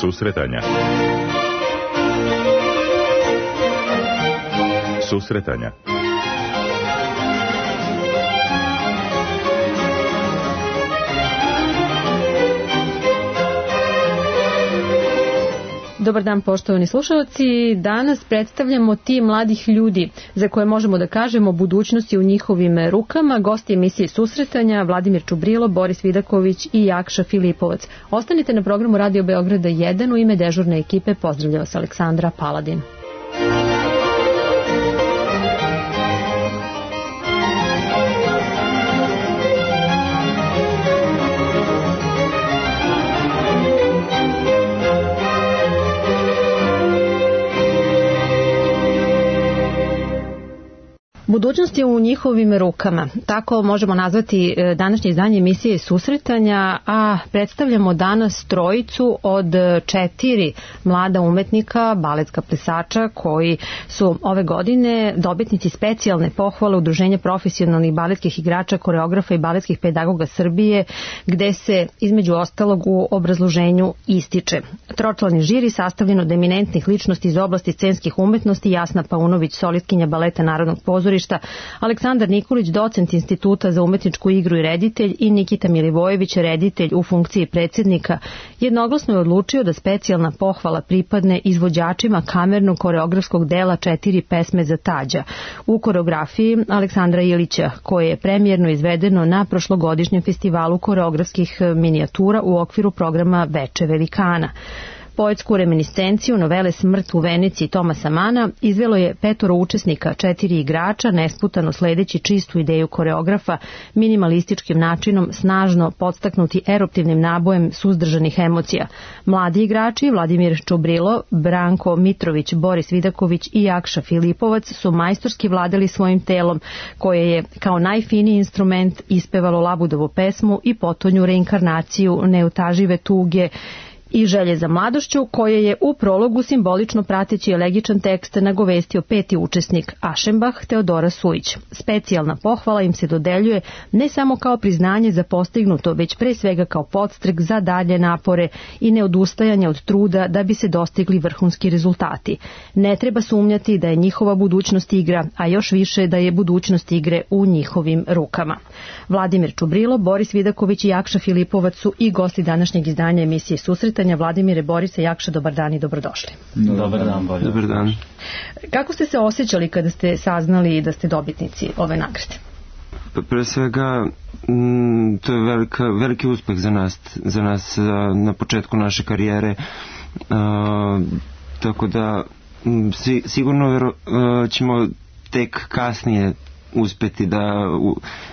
Susretanja. Susretanja. Dobar dan, poštovani slušalci. Danas predstavljamo tim mladih ljudi za koje možemo da kažemo budućnosti u njihovim rukama. Gosti emisije Susretanja Vladimir Čubrilo, Boris Vidaković i Jakša Filipovac. Ostanite na programu Radio Beograda 1. U ime dežurne ekipe pozdravlja vas Aleksandra Paladin. Budućnost je u njihovim rukama. Tako možemo nazvati današnje izdanje emisije Susretanja, a predstavljamo danas trojicu od 4 mlada umetnika, baletska plesača koji su ove godine dobitnici specijalne pohvale Udruženja profesionalnih baletskih igrača, koreografa i baletskih pedagoga Srbije, gde se između ostalog u obrazloženju ističe. Tročlani žiri sastavljen od eminentnih ličnosti iz oblasti scenskih umetnosti: Jasna Paunović, solistkinja baleta Narodnog pozorišta, Aleksandar Nikolić, docent Instituta za umetničku igru i reditelj, i Nikita Milivojević, reditelj u funkciji predsjednika, jednoglasno je odlučio da specijalna pohvala pripadne izvođačima kamernog koreografskog dela 4 pesme za Tađa u koreografiji Aleksandra Ilića, koje je premijerno izvedeno na prošlogodišnjem festivalu koreografskih minijatura u okviru programa Veče velikana. Poetsku reminiscenciju novele Smrt u Veneciji Tomasa Mana izvelo je 5 učesnika, 4 igrača, nesputano sledeći čistu ideju koreografa, minimalističkim načinom, snažno podstaknuti eruptivnim nabojem suzdržanih emocija. Mladi igrači Vladimir Čubrilo, Branko Mitrović, Boris Vidaković i Jakša Filipovac su majstorski vladali svojim telom, koje je kao najfiniji instrument ispevalo Labudovu pesmu i potonju reinkarnaciju neutažive tuge i želje za mladošću, koje je u prologu simbolično prateći elegičan tekst nagovestio 5. učesnik Ašembah Teodora Sujić. Specijalna pohvala im se dodeljuje ne samo kao priznanje za postignuto, već pre svega kao podstrek za dalje napore i neodustajanje od truda da bi se dostigli vrhunski rezultati. Ne treba sumnjati da je njihova budućnost igra, a još više da je budućnost igre u njihovim rukama. Vladimir Čubrilo, Boris Vidaković i Jakša Filipovac su i gosti današnjeg izdanja emisije Susretanja. Vladimire, Borise, Jakša, dobar dan i dobrodošli. Dobar dan, bolje. Dobar dan. Kako ste se osjećali kada ste saznali da ste dobitnici ove nagrade? Pre svega, to je veliki uspeh za nas na početku naše karijere, tako da sigurno ćemo tek kasnije uspeti da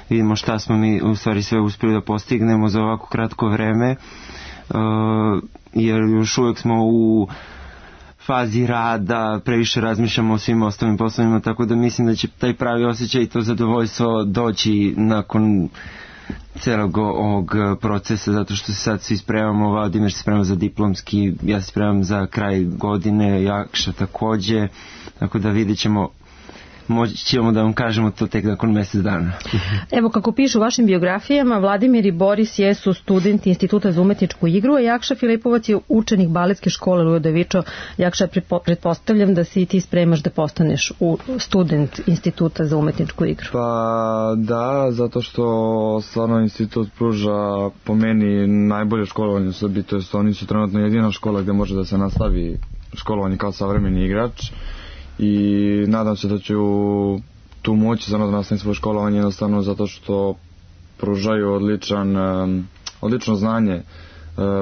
vidimo šta smo mi u stvari sve uspeli da postignemo za ovako kratko vreme, jer još uvijek smo u fazi rada, previše razmišljamo o svim ostalim poslovima, tako da mislim da će taj pravi osjećaj i to zadovoljstvo doći nakon celog ovog procesa, zato što se sad svi spremamo. Vladimir se sprema za diplomski, ja se spremam za kraj godine, Jakša takođe, tako da vidjet ćemo, moći ćemo da vam kažemo to tek nakon mjesec dana. Evo, kako pišu u vašim biografijama, Vladimir i Boris jesu studenti Instituta za umetničku igru, a Jakša Filipovac je učenik baletske škole Lujo Davičo. Jakša, pretpostavljam da si i ti spremaš da postaneš student Instituta za umetničku igru. Pa da, zato što stvarno institut pruža po meni najbolje školovanje u Srbiji, to jest oni su trenutno jedina škola gde može da se nastavi školovanje kao savremeni igrač. I nadam se da ću tu moći da nastavim svoje školovanje, jednostavno zato što pružaju odlično znanje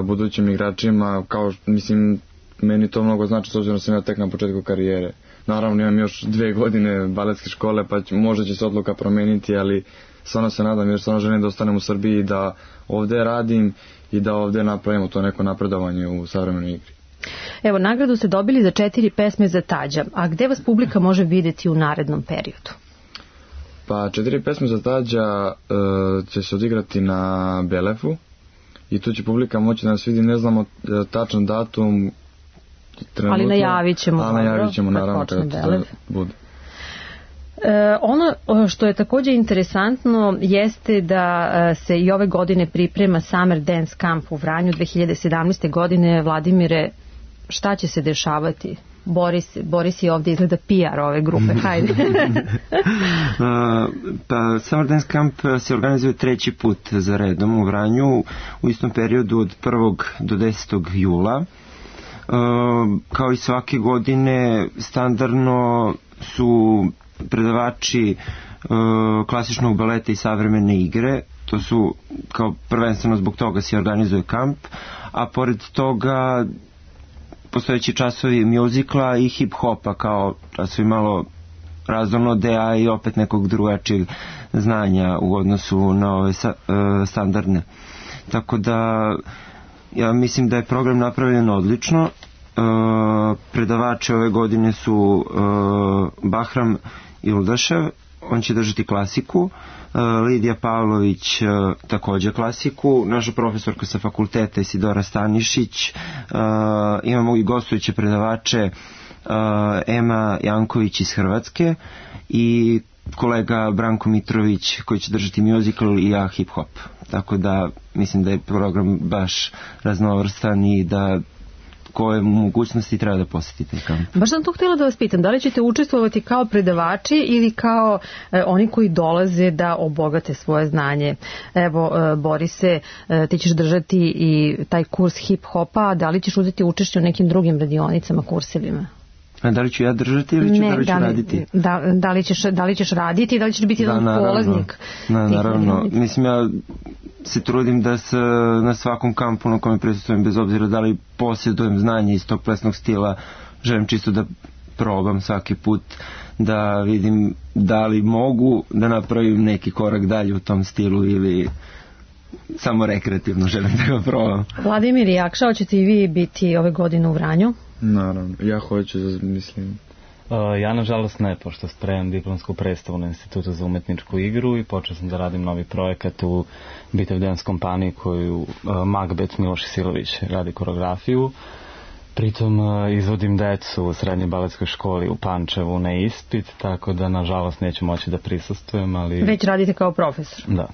budućim igračima. Mislim, meni to mnogo znači, s obzirom da sam ja tek na početku karijere. Naravno, imam još 2 godine baletske škole, pa možda će se odluka promeniti, ali stvarno se nadam, jer stvarno želim da ostanem u Srbiji, da ovde radim i da ovde napravimo to neko napredovanje u savremenoj igri. Evo, nagradu ste dobili za 4 pesme za Tađa, a gde vas publika može vidjeti u narednom periodu? Pa 4 pesme za Tađa će se odigrati na Belefu i tu će publika moći da nas vidi, ne znamo tačan datum trenutno, ali najavit ćemo. Najavit ćemo naravno kada to bude. Ono što je također interesantno jeste da se i ove godine priprema Summer Dance Camp u Vranju 2017. godine. Vladimire, šta će se dešavati? Boris je ovdje izgleda PR ove grupe, hajde. Pa Summer Dance Camp se organizuje 3. put za redom u Vranju u istom periodu od 1. do 10. jula. Kao i svake godine standardno su predavači klasičnog baleta i savremene igre. To su kao prvenstveno zbog toga se organizuje kamp, a pored toga postojeći časovi mjuzikla i hip-hopa kao časovi malo raznolode, a i opet nekog drugačijeg znanja u odnosu na ove standardne. Tako da ja mislim da je program napravljen odlično. Predavači ove godine su Bahram Ildašev, on će držati klasiku, Lidija Pavlović također klasiku, naša profesorka sa fakulteta Isidora Stanišić, imamo i gostujuće predavače Ema Janković iz Hrvatske i kolega Branko Mitrović koji će držati musical i ja hip hop. Tako da mislim da je program baš raznovrstan i da koje mogućnosti treba da posjetite kamp. Baš sam to htjela da vas pitam, da li ćete učestvovati kao predavači ili kao oni koji dolaze da obogate svoje znanje? Evo, Borise, ti ćeš držati i taj kurs hip-hopa, da li ćeš uzeti učešće u nekim drugim radionicama, kursevima? A da li ću ja držati ili da li ću raditi? Da li ćeš raditi i da li ćeš biti jedan polaznik? Naravno. Mislim, ja se trudim da se na svakom kampu na kome prisustvujem, bez obzira da li posjedujem znanje iz tog plesnog stila, želim čisto da probam svaki put, da vidim da li mogu da napravim neki korak dalje u tom stilu ili samo rekreativno želim da ga probam. Vladimir Jakša, hoćete i vi biti ove godine u Vranju? Naravno, ja hoću, mislim. Ja nažalost ne, pošto spremam diplomsku predstavu na Institutu za umetničku igru i počeo sam da radim novi projekat u Bitev Dance kompaniji koju Macbeth Miloš Silović radi koreografiju. Pritom izvodim decu u srednjoj baletskoj školi u Pančevu na ispit, tako da nažalost neću moći da prisustvujem, ali... Već radite kao profesor? Da.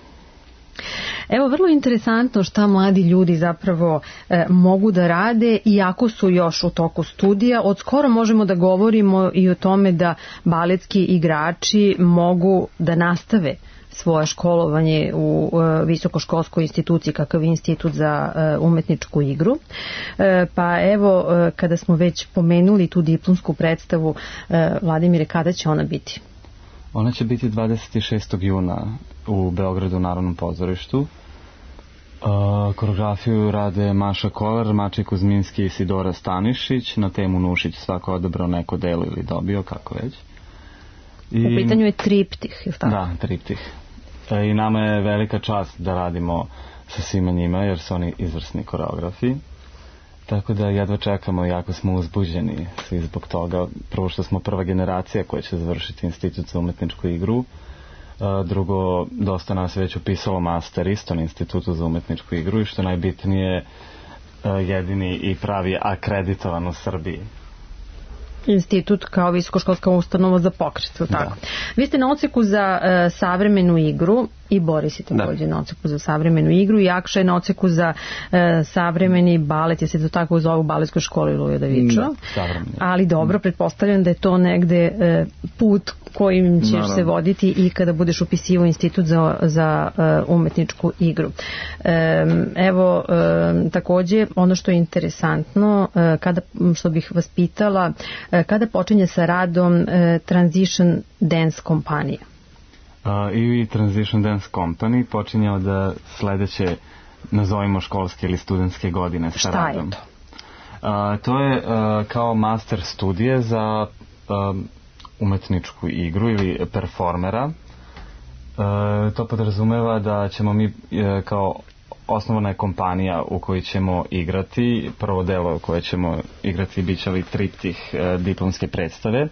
Evo, vrlo interesantno šta mladi ljudi zapravo mogu da rade iako su još u toku studija. Od skoro možemo da govorimo i o tome da baletski igrači mogu da nastave svoje školovanje u visokoškolskoj instituciji kakav je Institut za umetničku igru. Pa evo, kada smo već pomenuli tu diplomsku predstavu, Vladimire, kada će ona biti? Ona će biti 26. juna u Beogradu u Narodnom pozorištu. Koreografiju rade Maša Kolar, Mačej Kuzminski i Isidora Stanišić. Na temu Nušić svako odabrao neko delo ili dobio, kako već. U pitanju je triptih, je li tako? Da, triptih. I nama je velika čast da radimo sa svima njima, jer su oni izvrsni koreografi. Tako da jedva čekamo, jako smo uzbuđeni svi zbog toga. Prvo što smo prva generacija koja će završiti Institut za umetničku igru. Drugo, dosta nas već upisalo master isto na Institutu za umetničku igru i što najbitnije, jedini i pravi akreditovan u Srbiji. Institut kao visokoškolska ustanova za pokret, tako. Da. Vi ste na odseku za savremenu igru i Boris je također na odseku za savremenu igru i Jakša je na odseku za savremeni balet, je se to tako zovu baletskoj školi Lujo Davičo. Ali dobro, pretpostavljam da je to negde put kojim ćeš se voditi i kada budeš upisivao Institut za umetničku igru. Evo, također ono što je interesantno, što bih vas pitala, kada počinje sa radom Transition Dance kompanija? I Transition Dance Company počinje od sledeće, nazovimo školske ili studentske godine sa radom. Šta je to? To je kao master studije za umetničku igru ili performera. To podrazumeva da ćemo mi kao osnovana je kompanija u kojoj ćemo igrati. Prvo delo koje ćemo igrati bit će li triptih diplomske predstave.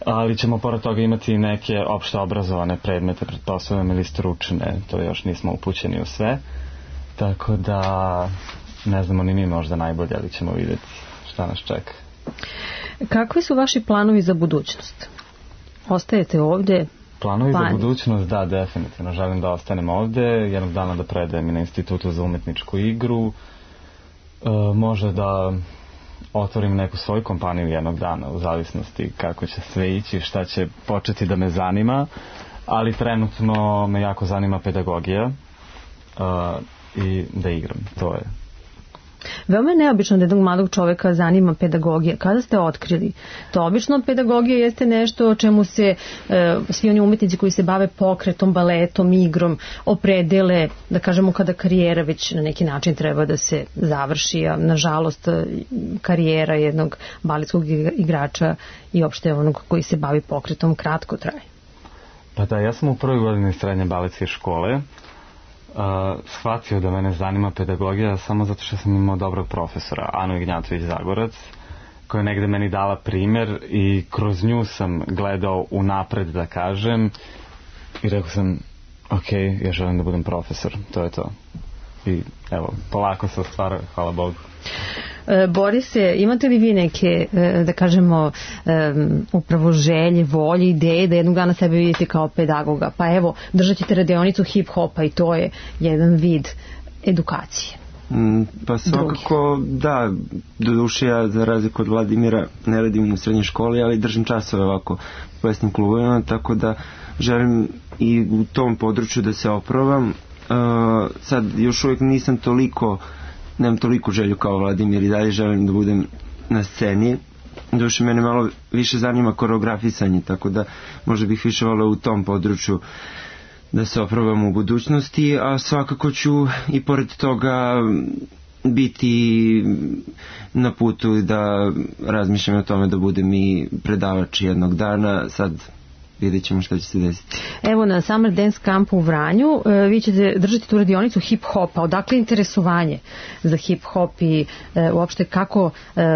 Ali ćemo pored toga imati neke opšte obrazovane predmete, pretpostavljam, ili stručne, to još nismo upućeni u sve. Tako da ne znamo ni mi možda najbolje, ali ćemo vidjeti šta nas čeka. Kakvi su vaši planovi za budućnost? ostajete ovde? Planovi za budućnost, da, definitivno. Želim da ostanem ovde, jednog dana da predajem i na Institutu za umetničku igru. Može da otvorim neku svoju kompaniju jednog dana, u zavisnosti kako će sve ići, šta će početi da me zanima, ali trenutno me jako zanima pedagogija i da igram, to je. Veoma je neobično da jednog mladog čoveka zanima pedagogija. Kada ste otkrili? To obično pedagogija jeste nešto o čemu se svi oni umetnici koji se bave pokretom, baletom, igrom opredele, da kažemo kada karijera već na neki način treba da se završi, a nažalost karijera jednog baletskog igrača i opšte onog koji se bavi pokretom kratko traje. Pa da, ja sam u prvoj godini srednje baletske škole shvatio da mene zanima pedagogija samo zato što sam imao dobrog profesora, Anu Ignjatović Zagorac, koja je negde meni dala primer i kroz nju sam gledao unapred, da kažem, i rekao sam, ok, ja želim da budem profesor, to je to. I evo, polako se ostvara, hvala Bogu. Borise, imate li vi neke, da kažemo, upravo želje, volje, ideje da jednog dana sebe vidite kao pedagoga? Pa evo, držat ćete radionicu hip-hopa i to je jedan vid edukacije. Pa svakako, da, doduše ja za razliku od Vladimira ne radim u srednjoj školi, ali držim časove ovako u plesnim klubovima, tako da želim i u tom području da se oprobam. Sad još uvijek nemam toliko želju kao Vladimir i dalje želim da budem na sceni. Doduše mene malo više zanima koreografisanje, tako da možda bih više voleo u tom području da se oprobam u budućnosti, a svakako ću i pored toga biti na putu da razmišljam o tome da budem i predavač jednog dana. Sad vidjet ćemo šta će se desiti. Evo na Summer Dance Campu u Vranju vi ćete držati tu radionicu hip-hopa. Odakle interesovanje za hip-hop i uopšte kako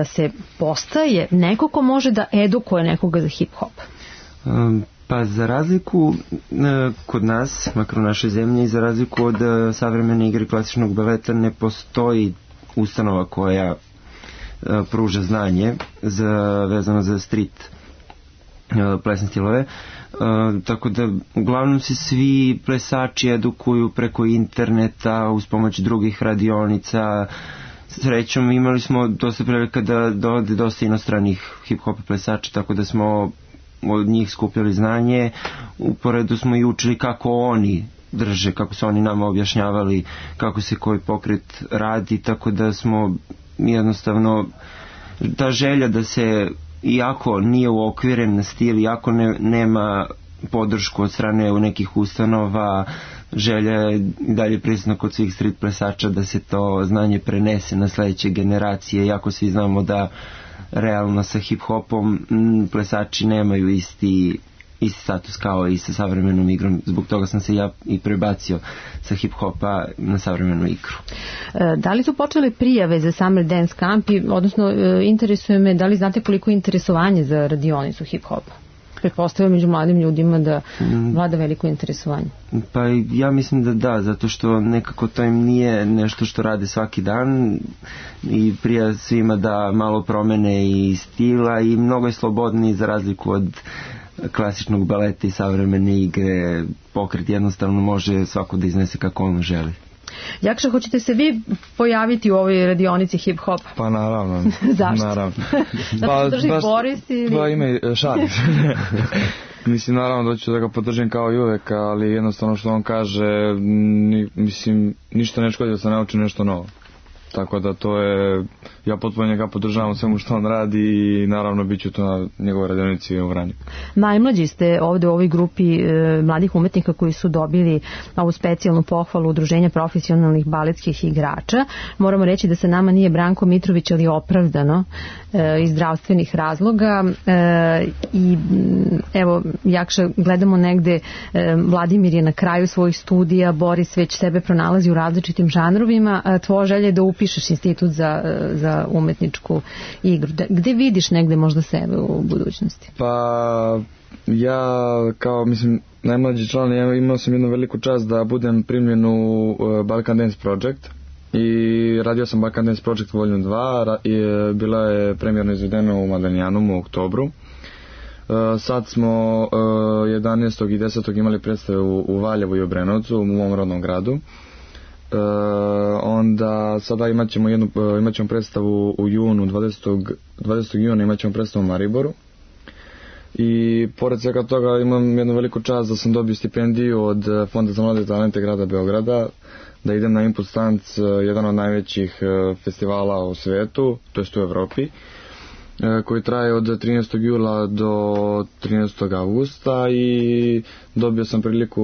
se postaje neko ko može da edukuje nekoga za hip-hop? Pa za razliku kod nas, makar u našoj zemlji, za razliku od savremene igre klasičnog baleta ne postoji ustanova koja pruža znanje vezano za street plesne stilove, tako da uglavnom se svi plesači edukuju preko interneta uz pomoć drugih radionica. Srećom imali smo dosta prilika da dovode dosta inostranih hip-hop plesača, tako da smo od njih skupljali znanje. Uporedu smo i učili kako oni drže, kako su oni nama objašnjavali kako se koji pokret radi, tako da smo jednostavno ta želja da se, iako nije uokviren na stil, iako nema podršku od strane u nekih ustanova, želja je dalje prisutna kod svih street plesača da se to znanje prenese na sledeće generacije, iako svi znamo da realno sa hip-hopom plesači nemaju isti status kao i sa savremenom igrom. Zbog toga sam se ja i prebacio sa hip-hopa na savremenu igru. Da li su počele prijave za Summer Dance Camp, odnosno interesuje me da li znate koliko je interesovanje za radionicu hip-hopa? Pretpostavljam među mladim ljudima da vlada veliko interesovanje. Pa ja mislim da, zato što nekako to im nije nešto što rade svaki dan i prija svima da malo promene i stila i mnogo je slobodniji za razliku od klasičnog baleta i savremene igre. Pokret jednostavno može svako da iznese kako on želi. Jakša, hoćete se vi pojaviti u ovoj radionici hip-hopa? Pa naravno. Zašto? Naravno. Da podrži Boris ili... Pa ime šalim. Mislim, naravno da ću da ga podržim kao i uvek, ali jednostavno što on kaže, mislim, ništa ne škodi da se nauči nešto novo. Tako da to je, ja potpuno njega podržavam svemu što on radi i naravno bit ću to na njegovoj radionici u Vranju. Najmlađi ste ovde u ovoj grupi mladih umetnika koji su dobili ovu specijalnu pohvalu Udruženja profesionalnih baletskih igrača. Moramo reći da sa nama nije Branko Mitrović, ali opravdano iz zdravstvenih razloga i evo, Jakša, gledamo negde, Vladimir je na kraju svojih studija, Boris već sebe pronalazi u različitim žanrovima, tvoja želja je da upišeš institut za umetničku igru. Gde vidiš negde možda sebe u budućnosti? Pa ja kao, mislim, najmlađi član, ja imao sam jednu veliku čast da budem primljen u Balkan Dance Project i radio sam Balkan Dance Project Volume 2 i bila je premijerno izvedena u Madanjanom u oktobru. Sad smo 11. i 10. imali predstave u Valjevu i Obrenovcu, u mom rodnom gradu. Onda sada imat ćemo predstavu u junu, 20. juna imat ćemo predstavu u Mariboru. I pored svega toga imam jednu veliku čast da sam dobio stipendiju od Fonda za mlade talente grada Beograda, da idem na Impuls Tanc, jedan od najvećih festivala u svetu, to jest u Evropi, koji traje od 13. jula do 13. augusta i dobio sam priliku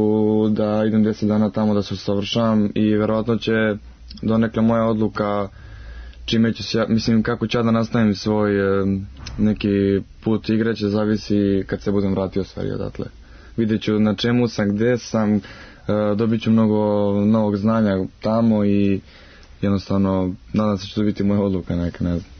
da idem 10 dana tamo da se usavršavam i verovatno će donekle moja odluka čime ću se, mislim kako ću ja da nastavim svoj neki put igre će zavisi kad se budem vratio stvari odatle. Vidjet ću na čemu sam, gde sam, dobit ću mnogo novog znanja tamo i jednostavno nadam se će to biti moja odluka neka, ne znam.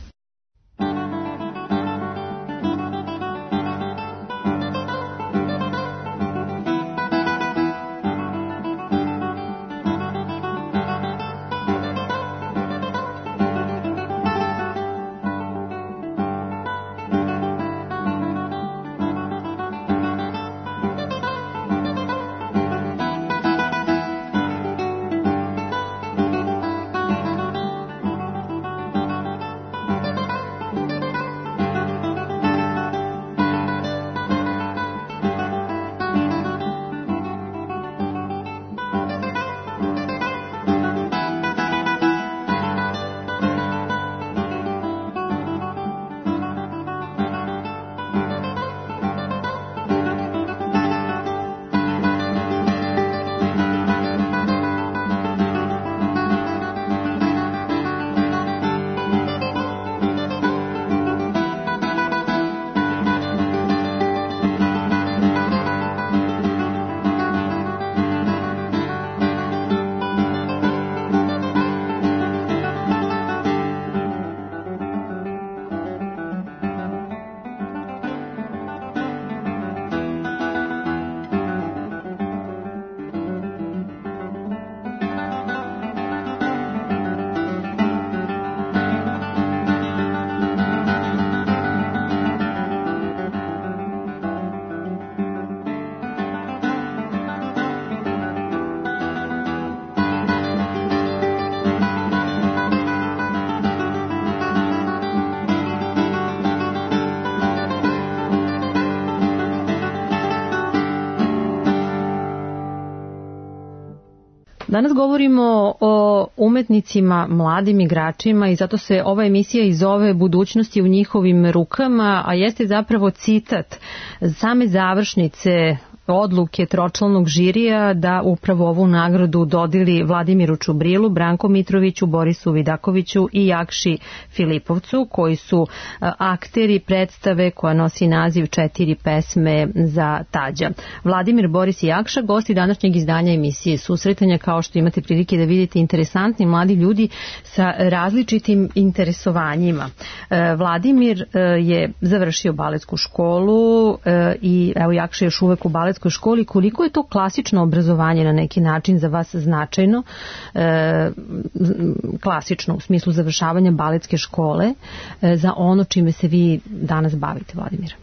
Danas govorimo o umetnicima, mladim igračima i zato se ova emisija i zove Budućnosti u njihovim rukama, a jeste zapravo citat same završnice odluke tročlanog žirija da upravo ovu nagradu dodeli Vladimiru Čubrilu, Branku Mitroviću, Borisu Vidakoviću i Jakši Filipovcu, koji su akteri predstave koja nosi naziv 4 pesme za Tađa. Vladimir, Boris i Jakša, gosti današnjeg izdanja emisije Susretanja, kao što imate prilike da vidite, interesantni mladi ljudi sa različitim interesovanjima. Vladimir je završio baletsku školu i evo Jakša je još uvek u baletskoj školi. Koliko je to klasično obrazovanje na neki način za vas značajno, klasično u smislu završavanja baletske škole, za ono čime se vi danas bavite, Vladimir?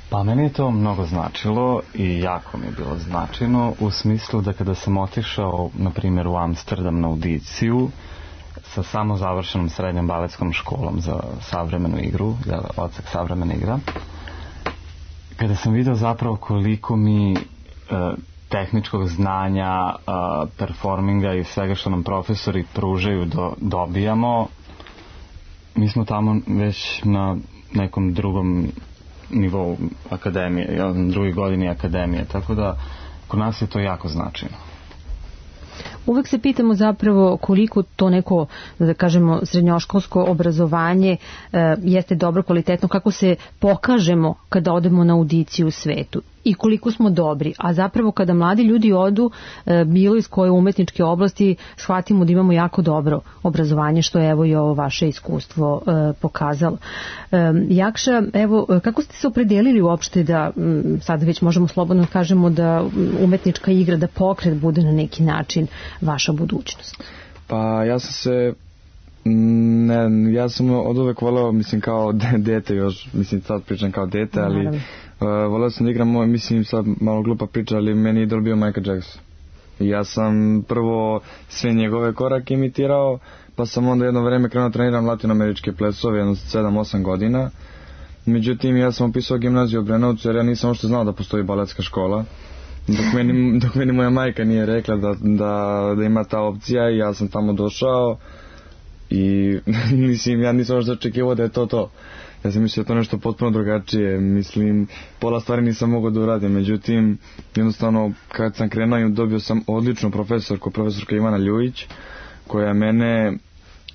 Pa meni je to mnogo značilo i jako mi je bilo značajno u smislu da kada sam otišao, na primjer, u Amsterdam na audiciju sa samo završenom srednjom baletskom školom za savremenu igru, odsek savremena igra, kada sam vidio zapravo koliko mi tehničkog znanja, performinga i svega što nam profesori pružaju dobijamo, mi smo tamo već na nekom drugom nivou akademije, drugoj godini akademije, tako da kod nas je to jako značajno. Uvek se pitamo zapravo koliko to neko, da kažemo, srednjoškolsko obrazovanje jeste dobro, kvalitetno, kako se pokažemo kada odemo na audiciju u svetu i koliko smo dobri, a zapravo kada mladi ljudi odu bilo iz koje umetničke oblasti, shvatimo da imamo jako dobro obrazovanje, što je evo i ovo vaše iskustvo pokazalo. Jakša, evo, kako ste se opredelili uopšte da, sad već možemo slobodno kažemo da umetnička igra, da pokret bude na neki način vaša budućnost? Pa ja sam se Ne, ja sam od uvek voleo, mislim, kao dete još, mislim, sad pričam kao dete, ali voleo sam da igram moj, mislim, sad malo glupa priča, ali meni idol bio Michael Jackson. I ja sam prvo sve njegove korake imitirao, pa sam onda jedno vreme krenuo treniram latinoameričke plesove, jedno 7-8 godina. Međutim, ja sam upisao gimnaziju u Brenovcu, jer ja nisam uopšte znao da postoji baletska škola. Dok meni moja majka nije rekla da ima ta opcija, i ja sam tamo došao i mislim, ja nisam uopšte očekivao da je to. Ja sam mislio da je to nešto potpuno drugačije, mislim, pola stvari nisam mogao da uradim, međutim, jednostavno, kad sam krenuo, dobio sam odličnu profesorka Ivana Ljujić, koja mene,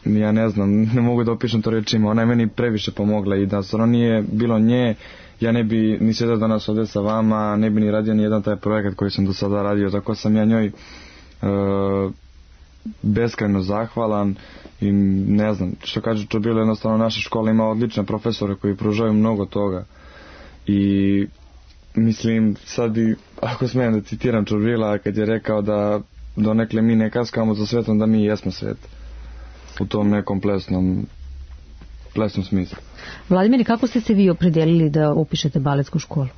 ja ne znam, ne mogu da opišem to rečima, ona je meni previše pomogla, i da stvarno nije bilo nje, ja ne bi ni sjedao danas ovdje sa vama, ne bi ni radio ni jedan taj projekat koji sam do sada radio, tako sam ja njoj beskrajno zahvalan. I ne znam, što kaže Čobilo, jednostavno naša škola ima odlične profesore koji pružaju mnogo toga. I mislim, sad i ako smijem da citiram Čobila, kad je rekao da donekle mi ne kaskamo za svetom, da mi jesmo svet u tom nekom plesnom smislu. Vladimir, kako ste se vi opredelili da upišete baletsku školu?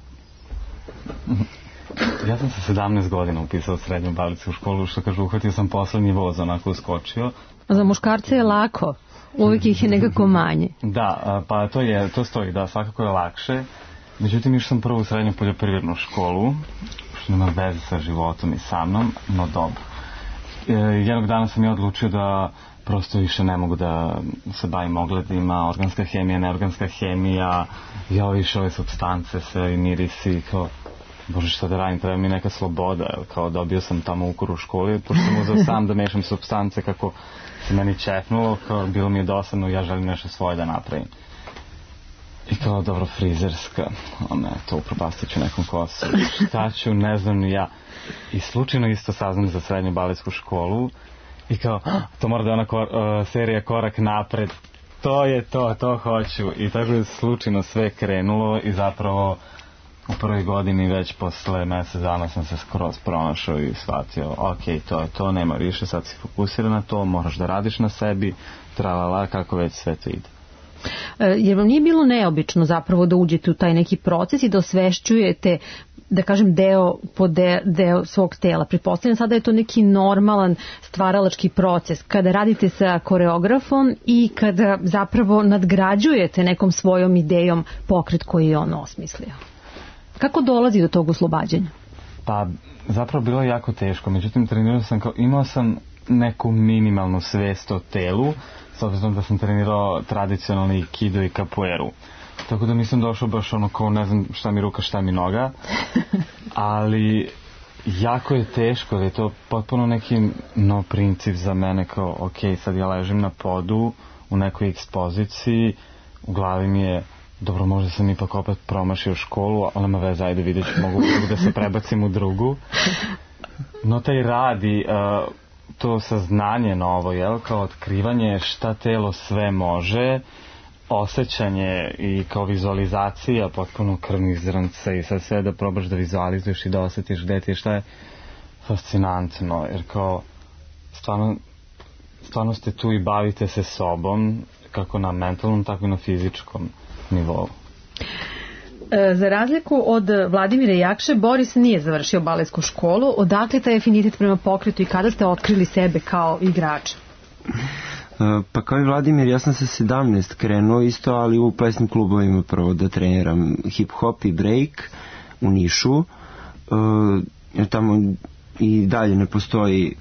Ja sam se 17 godina upisao u srednju baletsku školu, što kažu, uhvatio sam poslednji voz, onako uskočio. Za muškarce je lako, uvijek ih je nekako manje. Da, pa to stoji, da, svakako je lakše. Međutim, išao sam prvo u srednju poljoprivrednu školu, što nema veze sa životom i sa mnom, no dobro. Jednog dana sam ja odlučio da prosto više ne mogu da se bavim ogledima, organska hemija, neorganska hemija, više ove supstance, sve i mirisi, kao, bože, šta da radim, treba mi neka sloboda, kao dobio sam tamo ukor u školi, pošto sam uzeo sam da mešam supstance kako se meni čepnulo, kao bilo mi je dosadno, ja želim nešto svoje da napravim. I kao, dobro, frizerska, to upropastit ću nekom kosu, šta ću, ne znam ni ja. I slučajno isto saznam za srednju baletsku školu i kao, to mora da je ona serija Korak napred, to hoću. I tako je slučajno sve krenulo i zapravo u prvoj godini već posle mjesec dana sam se skroz pronašao i shvatio, ok, to je to, nema više, sad si fokusiran na to, moraš da radiš na sebi, tralala, kako već sve to ide. Jer vam nije bilo neobično zapravo da uđete u taj neki proces i da osvešćujete, da kažem, deo svog tela? Pretpostavljam sada je to neki normalan stvaralački proces kada radite sa koreografom i kada zapravo nadgrađujete nekom svojom idejom pokret koji je on osmislio. Kako dolazi do tog oslobađanja? Pa zapravo bilo je jako teško, međutim trenirao sam imao sam neku minimalnu svest o telu, s obzirom da sam trenirao tradicionalni aikido i capoeiru. Tako da nisam došao baš kao ne znam šta mi ruka, šta mi noga, ali jako je teško, da je to potpuno neki nov princip za mene, kao ok, sad ja ležim na podu u nekoj ekspoziciji, u glavi mi je dobro, možda sam ipak opet promašio školu, ali nema veze, ajde vidjet ću, mogu da se prebacim u drugu. No taj rad i to saznanje novo, kao otkrivanje šta telo sve može, osjećanje i kao vizualizacija potpuno krvnih zrnca i sad sve da probaš da vizualizuješ i da osjetiš gde ti je, šta je fascinantno, jer kao stvarno ste tu i bavite se sobom, kako na mentalnom, tako i na fizičkom nivou. Za razliku od Vladimira Jakše, Boris nije završio baletsku školu. Odakle taj afinitet prema pokretu i kada ste otkrili sebe kao igrača? Pa kao i Vladimir, ja sam sa 17 krenuo isto, ali u plesnim klubovima prvo da treniram hip-hop i break u Nišu. Tamo i dalje ne postoji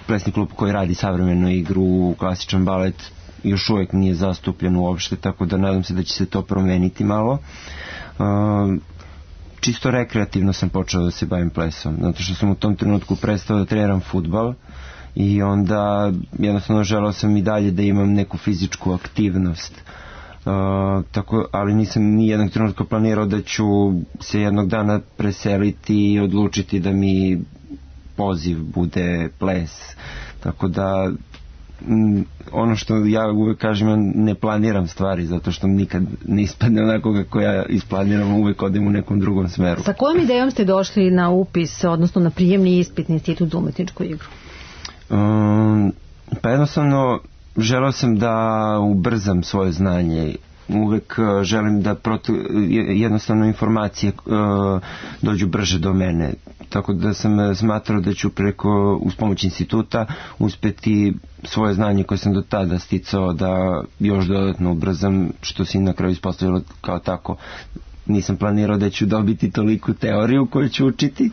plesni klub koji radi savremenu igru, klasičan balet još uvijek nije zastupljen uopšte, tako da nadam se da će se to promeniti malo. Čisto rekreativno sam počeo da se bavim plesom, zato što sam u tom trenutku prestao da treniram fudbal i onda jednostavno želeo sam i dalje da imam neku fizičku aktivnost. Ali nisam ni jednog trenutka planirao da ću se jednog dana preseliti i odlučiti da mi poziv bude ples, tako da ono što ja uvek kažem, ja ne planiram stvari zato što nikad ne ispadne onako kako ja isplaniram, uvek odem u nekom drugom smeru. Sa kojom idejom ste došli na upis, odnosno na prijemni ispit na Institut za umetničku igru? Pa jednostavno želeo sam da ubrzam svoje znanje. Uvek želim da jednostavno informacije dođu brže do mene. Tako da sam smatrao da ću uz pomoć instituta uspeti svoje znanje koje sam do tada sticao da još dodatno ubrzam, što se na kraju ispostavilo kao tako. Nisam planirao da ću dobiti toliku teoriju koju ću učiti,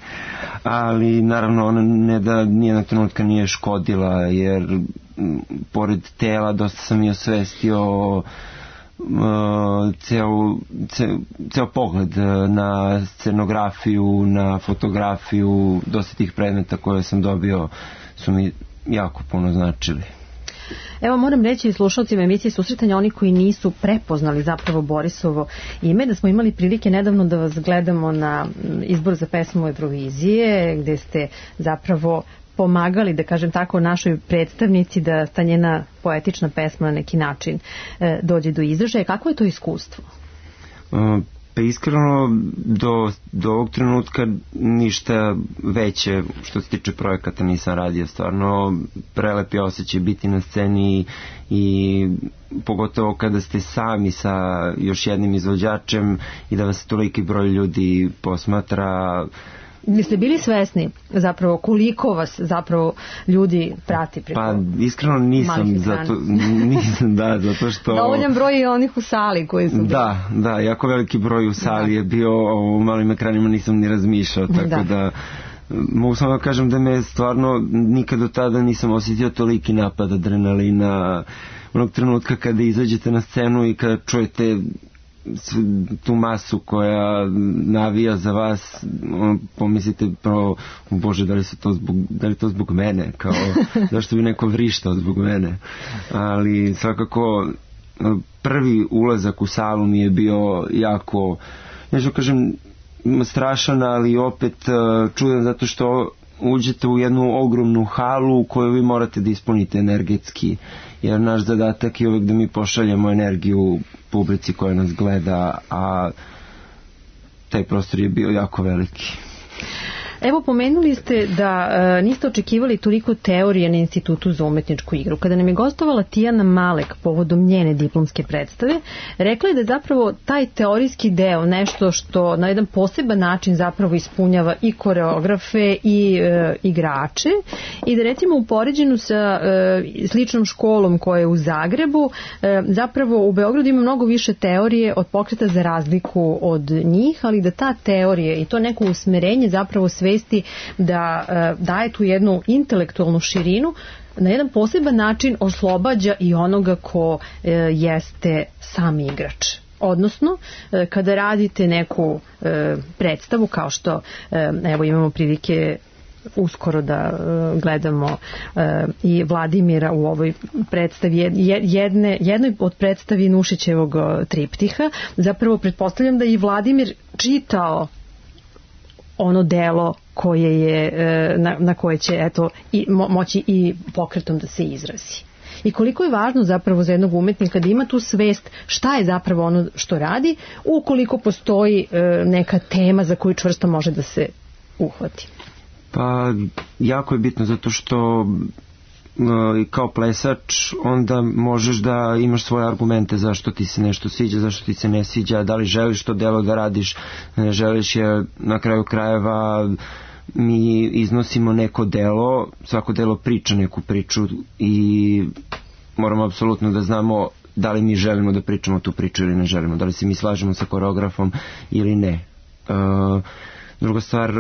ali naravno ona ne da nijednog trenutka nije škodila, jer pored tela dosta sam i osvestio ceo pogled na scenografiju, na fotografiju. Dosta tih predmeta koje sam dobio su mi jako puno značili. Evo, moram reći slušalcima emisije Susretanja, oni koji nisu prepoznali zapravo Borisovo ime, da smo imali prilike nedavno da vas gledamo na izbor za pesmu Eurovizije, gde ste zapravo pomagali, da kažem tako, našoj predstavnici da ta njena poetična pesma na neki način dođe do izražaja. Kako je to iskustvo? Pa iskreno, do ovog trenutka ništa veće što se tiče projekata nisam radio. Stvarno prelep je osjećaj biti na sceni i pogotovo kada ste sami sa još jednim izvođačem i da vas toliki broj ljudi posmatra. Jeste bili svesni zapravo koliko vas zapravo ljudi prati preko malih ekrana? Pa iskreno nisam, zato što... Dovoljan broj je onih u sali koji su bili. Da, jako veliki broj u sali je bio, u malim ekranima nisam ni razmišljao, tako da mogu samo da kažem da me stvarno nikad do tada nisam osjetio toliki napad adrenalina. Onog trenutka kada izađete na scenu i kada čujete tu masu koja navija za vas, pomislite Bože, da li to zbog mene, kao zašto bi neko vrištao zbog mene. Ali svakako prvi ulazak u salu mi je bio jako, neću kažem strašan, ali opet čudan, zato što uđete u jednu ogromnu halu koju vi morate da ispunite energetski, jer naš zadatak je uvek da mi pošaljemo energiju publici koja nas gleda, a taj prostor je bio jako veliki. Evo, pomenuli ste da niste očekivali toliko teorije na Institutu za umetničku igru. Kada nam je gostovala Tijana Malek povodom njene diplomske predstave, rekla je da je zapravo taj teorijski deo nešto što na jedan poseban način zapravo ispunjava i koreografe i igrače, i da recimo u poređenju sa sličnom školom koja je u Zagrebu, zapravo u Beogradu ima mnogo više teorije od Pokreta za razliku od njih, ali da ta teorija i to neko usmerenje zapravo svesti da daje tu jednu intelektualnu širinu, na jedan poseban način oslobađa i onoga ko jeste sam igrač. Odnosno, kada radite neku predstavu, kao što evo imamo prilike uskoro da gledamo i Vladimira u ovoj predstavi, jednoj od predstavi Nušićevog triptiha, zapravo pretpostavljam da i Vladimir čitao ono delo koje je, na koje će moći i pokretom da se izrazi. I koliko je važno zapravo za jednog umetnika da ima tu svest šta je zapravo ono što radi, ukoliko postoji neka tema za koju čvrsto može da se uhvati. Pa jako je bitno, zato što kao plesač onda možeš da imaš svoje argumente zašto ti se nešto sviđa, zašto ti se ne sviđa, da li želiš to delo da radiš, ne želiš je. Na kraju krajeva mi iznosimo neko delo, svako delo priča neku priču i moramo apsolutno da znamo da li mi želimo da pričamo tu priču ili ne želimo, da li se mi slažemo sa koreografom ili ne. Druga stvar,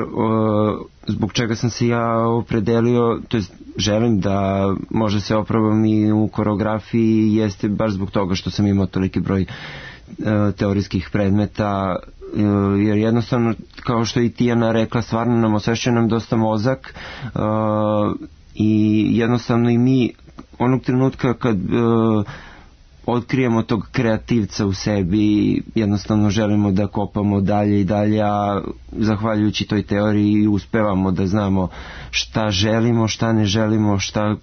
zbog čega sam se ja opredelio, to jest želim da može se oprobam i u koreografiji, jeste baš zbog toga što sam imao toliki broj teorijskih predmeta, jer jednostavno, kao što i Tijana rekla, stvarno nam osvešćuje nam dosta mozak i jednostavno i mi onog trenutka kad otkrijemo tog kreativca u sebi, jednostavno želimo da kopamo dalje i dalje, a zahvaljujući toj teoriji uspevamo da znamo šta želimo, šta ne želimo, šta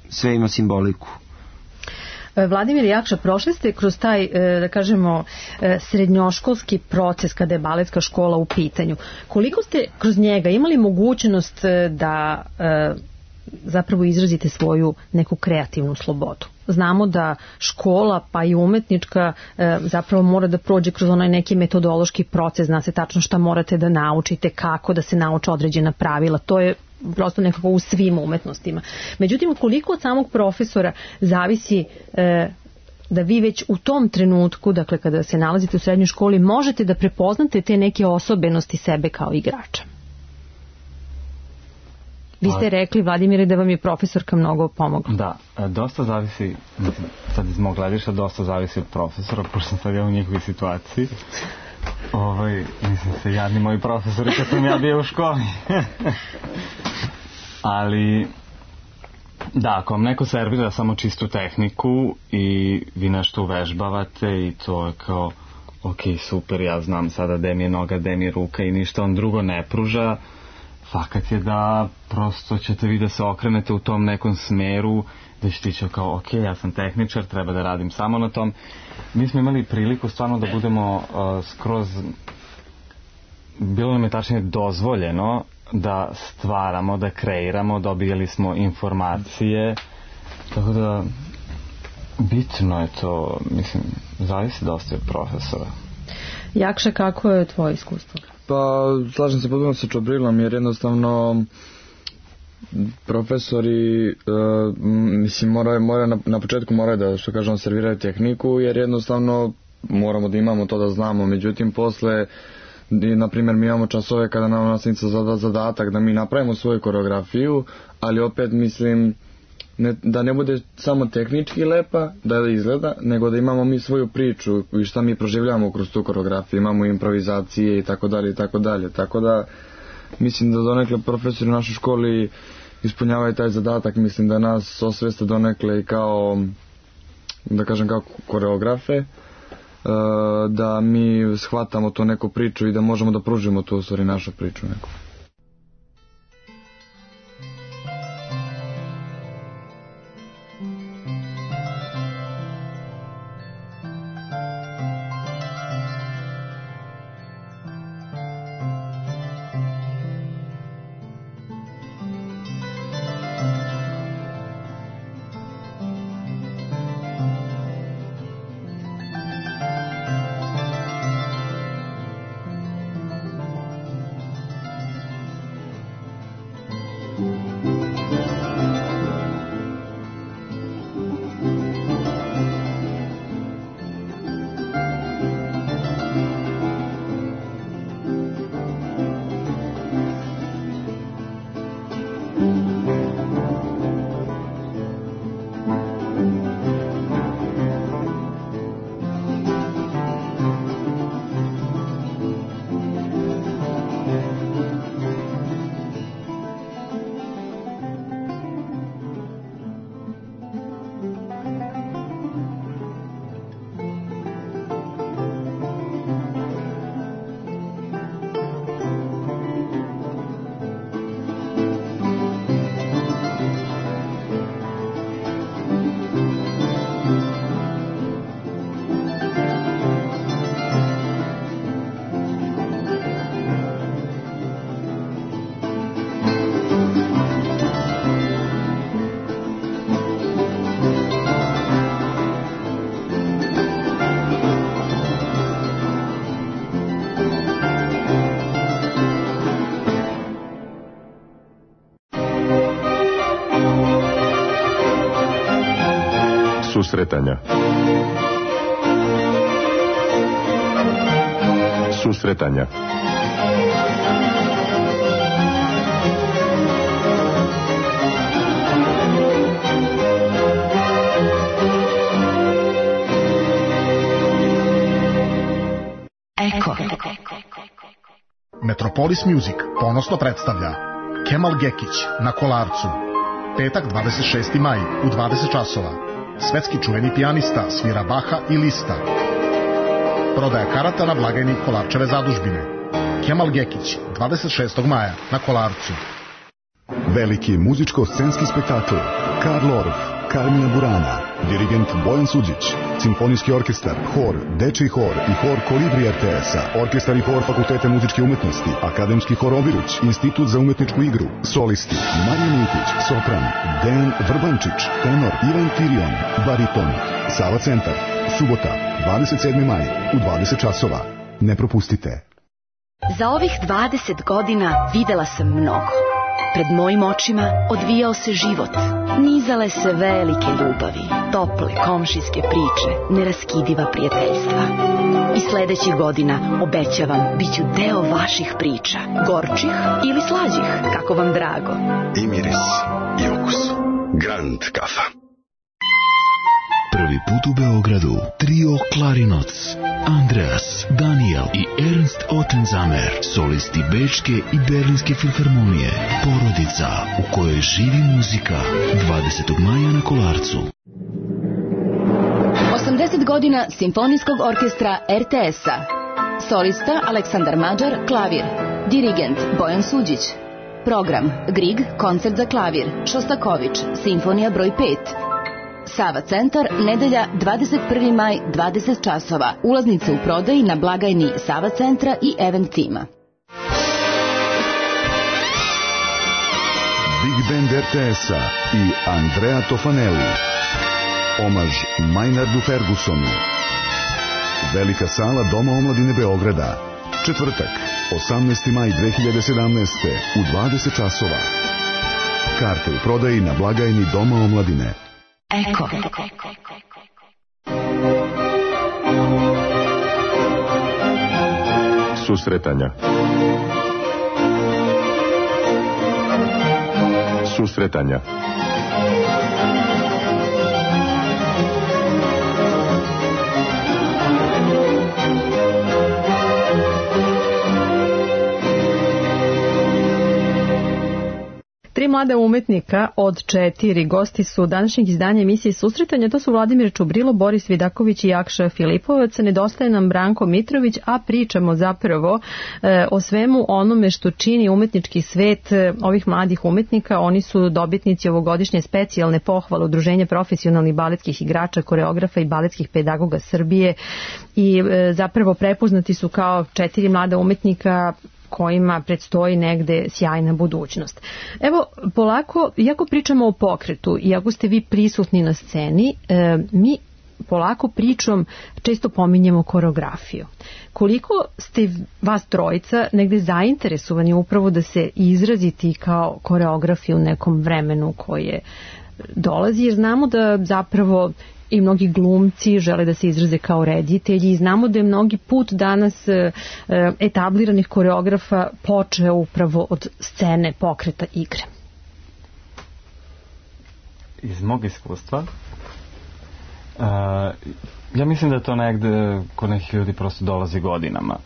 sve ima simboliku. Vladimir Jakša, prošli ste kroz taj, da kažemo, srednjoškolski proces kada je baletska škola u pitanju. Koliko ste kroz njega imali mogućnost da zapravo izrazite svoju neku kreativnu slobodu? znamo da škola pa i umetnička zapravo mora da prođe kroz onaj neki metodološki proces, zna se tačno šta morate da naučite, kako da se nauče određena pravila, to je prosto nekako u svim umetnostima. Međutim, koliko od samog profesora zavisi da vi već u tom trenutku, dakle kada se nalazite u srednjoj školi, možete da prepoznate te neke osobenosti sebe kao igrača? Vi ste rekli, Vladimire, da vam je profesorka mnogo pomogla. Da, dosta zavisi, sad iz mog gledišta, dosta zavisi od profesora, pošto sam sad ja u njihovi situaciji. Mislim se, jadni moji profesori kad sam ja bio u školi. Ali, da, ako vam neko servira samo čistu tehniku i vi nešto uvežbavate i to je kao, ok, super, ja znam sada gde mi je noga, gde mi je ruka i ništa on drugo ne pruža, fakat je da prosto ćete vi da se okrenete u tom nekom smeru, da ćete ići kao, ok, ja sam tehničar, treba da radim samo na tom. Mi smo imali priliku stvarno da budemo skroz, bilo nam je tačnije dozvoljeno da stvaramo, da kreiramo, dobijali smo informacije, tako da bitno je to, mislim, zavisi dosta od profesora. Jakša, kako je tvoje iskustvo? Pa, slažem se potpuno sa Čobrilom, jer jednostavno profesori mislim moraju na početku moraju da, što kažemo, serviraju tehniku, jer jednostavno moramo da imamo to da znamo. Međutim, posle, na primjer, mi imamo časove kada nam nastavnica zada zadatak da mi napravimo svoju koreografiju, ali opet mislim da ne bude samo tehnički lepa da izgleda, nego da imamo mi svoju priču i šta mi proživljamo kroz tu koreografiju, imamo improvizacije i tako dalje i tako dalje. Tako da mislim da donekle profesori u našoj školi ispunjavaju taj zadatak, mislim da nas osveste donekle i kao, da kažem, kao koreografe, da mi shvatamo tu neku priču i da možemo da pružimo tu u stvari našu priču neku. Susretanja. Susretanja. Eko. Metropolis Music ponosno predstavlja Kemal Gekić na Kolarcu. Petak 26. maj u 20 časova. Svetski čuveni pijanista svira Baha i Lista. Prodaja karata na blagajni Kolarčeve zadužbine. Kemal Gekić, 26. maja na Kolarcu. Veliki muzičko-scenski spektakl Karl Orff, Karmina Burana, dirigent Bojan Suđić, simfonijski orkestar, hor, dečiji hor i hor Kolibri RTS-a, orkestar i hor Fakulteta muzičke umetnosti, akademski hor Obiruć, institut za umetničku igru, solisti, Marija Miljković, sopran, Dejan Vrbančić, tenor, Ivan Tirion, bariton, Sava centar, subota, 27. maj, u 20 časova. Ne propustite. Za ovih 20 godina videla sam mnogo. Pred mojim očima odvijao se život. Nizale se velike ljubavi, tople komšijske priče, neraskidiva prijateljstva. I sledećih godina, obećavam, bit ću deo vaših priča. Gorčih ili slađih, kako vam drago. I miris, i okus. Grand kafa. Prvi put u Beogradu trio Klarinoc, Andreas, Daniel i Ernst Ottenzamer, solisti Bečke i Berlinske filharmonije. Porodica u kojoj živi muzika. 20. maja na Kolarcu. 80 godina Simfonijskog orkestra RTS-a. Solista Aleksandar Mađar, klavir. Dirigent Bojan Suđić. Program Grieg, koncert za klavir. Šostaković, simfonija broj 5. Sava centar, nedelja 21. maj, 20 časova. Ulaznice u prodaji na blagajni Sava centra i Event tima. Big Band RTS-a i Andrea Tofanelli. Omaž Maynardu Fergusonu. Velika sala Doma omladine Beograda. Četvrtak, 18. maj 2017. u 20 časova. Karte u prodaji na blagajni Doma omladine. Eko. Susretanja. Susretanja. Tri mlada umetnika od 4 gosti su današnjeg izdanja emisije Susretanja. To su Vladimir Čubrilo, Boris Vidaković i Jakša Filipovac. Nedostaje nam Branko Mitrović, a pričamo zapravo o svemu onome što čini umetnički svet ovih mladih umetnika. Oni su dobitnici ovogodišnje specijalne pohvale Udruženja profesionalnih baletskih igrača, koreografa i baletskih pedagoga Srbije i zapravo prepoznati su kao 4 mlada umetnika kojima predstoji negde sjajna budućnost. Evo, polako, iako pričamo o pokretu, iako ste vi prisutni na sceni, mi polako pričom često pominjemo koreografiju. Koliko ste vas trojica negde zainteresovani upravo da se izraziti kao koreografi u nekom vremenu koje dolazi, jer znamo da zapravo i mnogi glumci žele da se izraze kao reditelji i znamo da je mnogi put danas etabliranih koreografa počeo upravo od scene, pokreta, igre. Iz mog iskustva ja mislim da to negde kod nekih ljudi prosto dolazi godinama.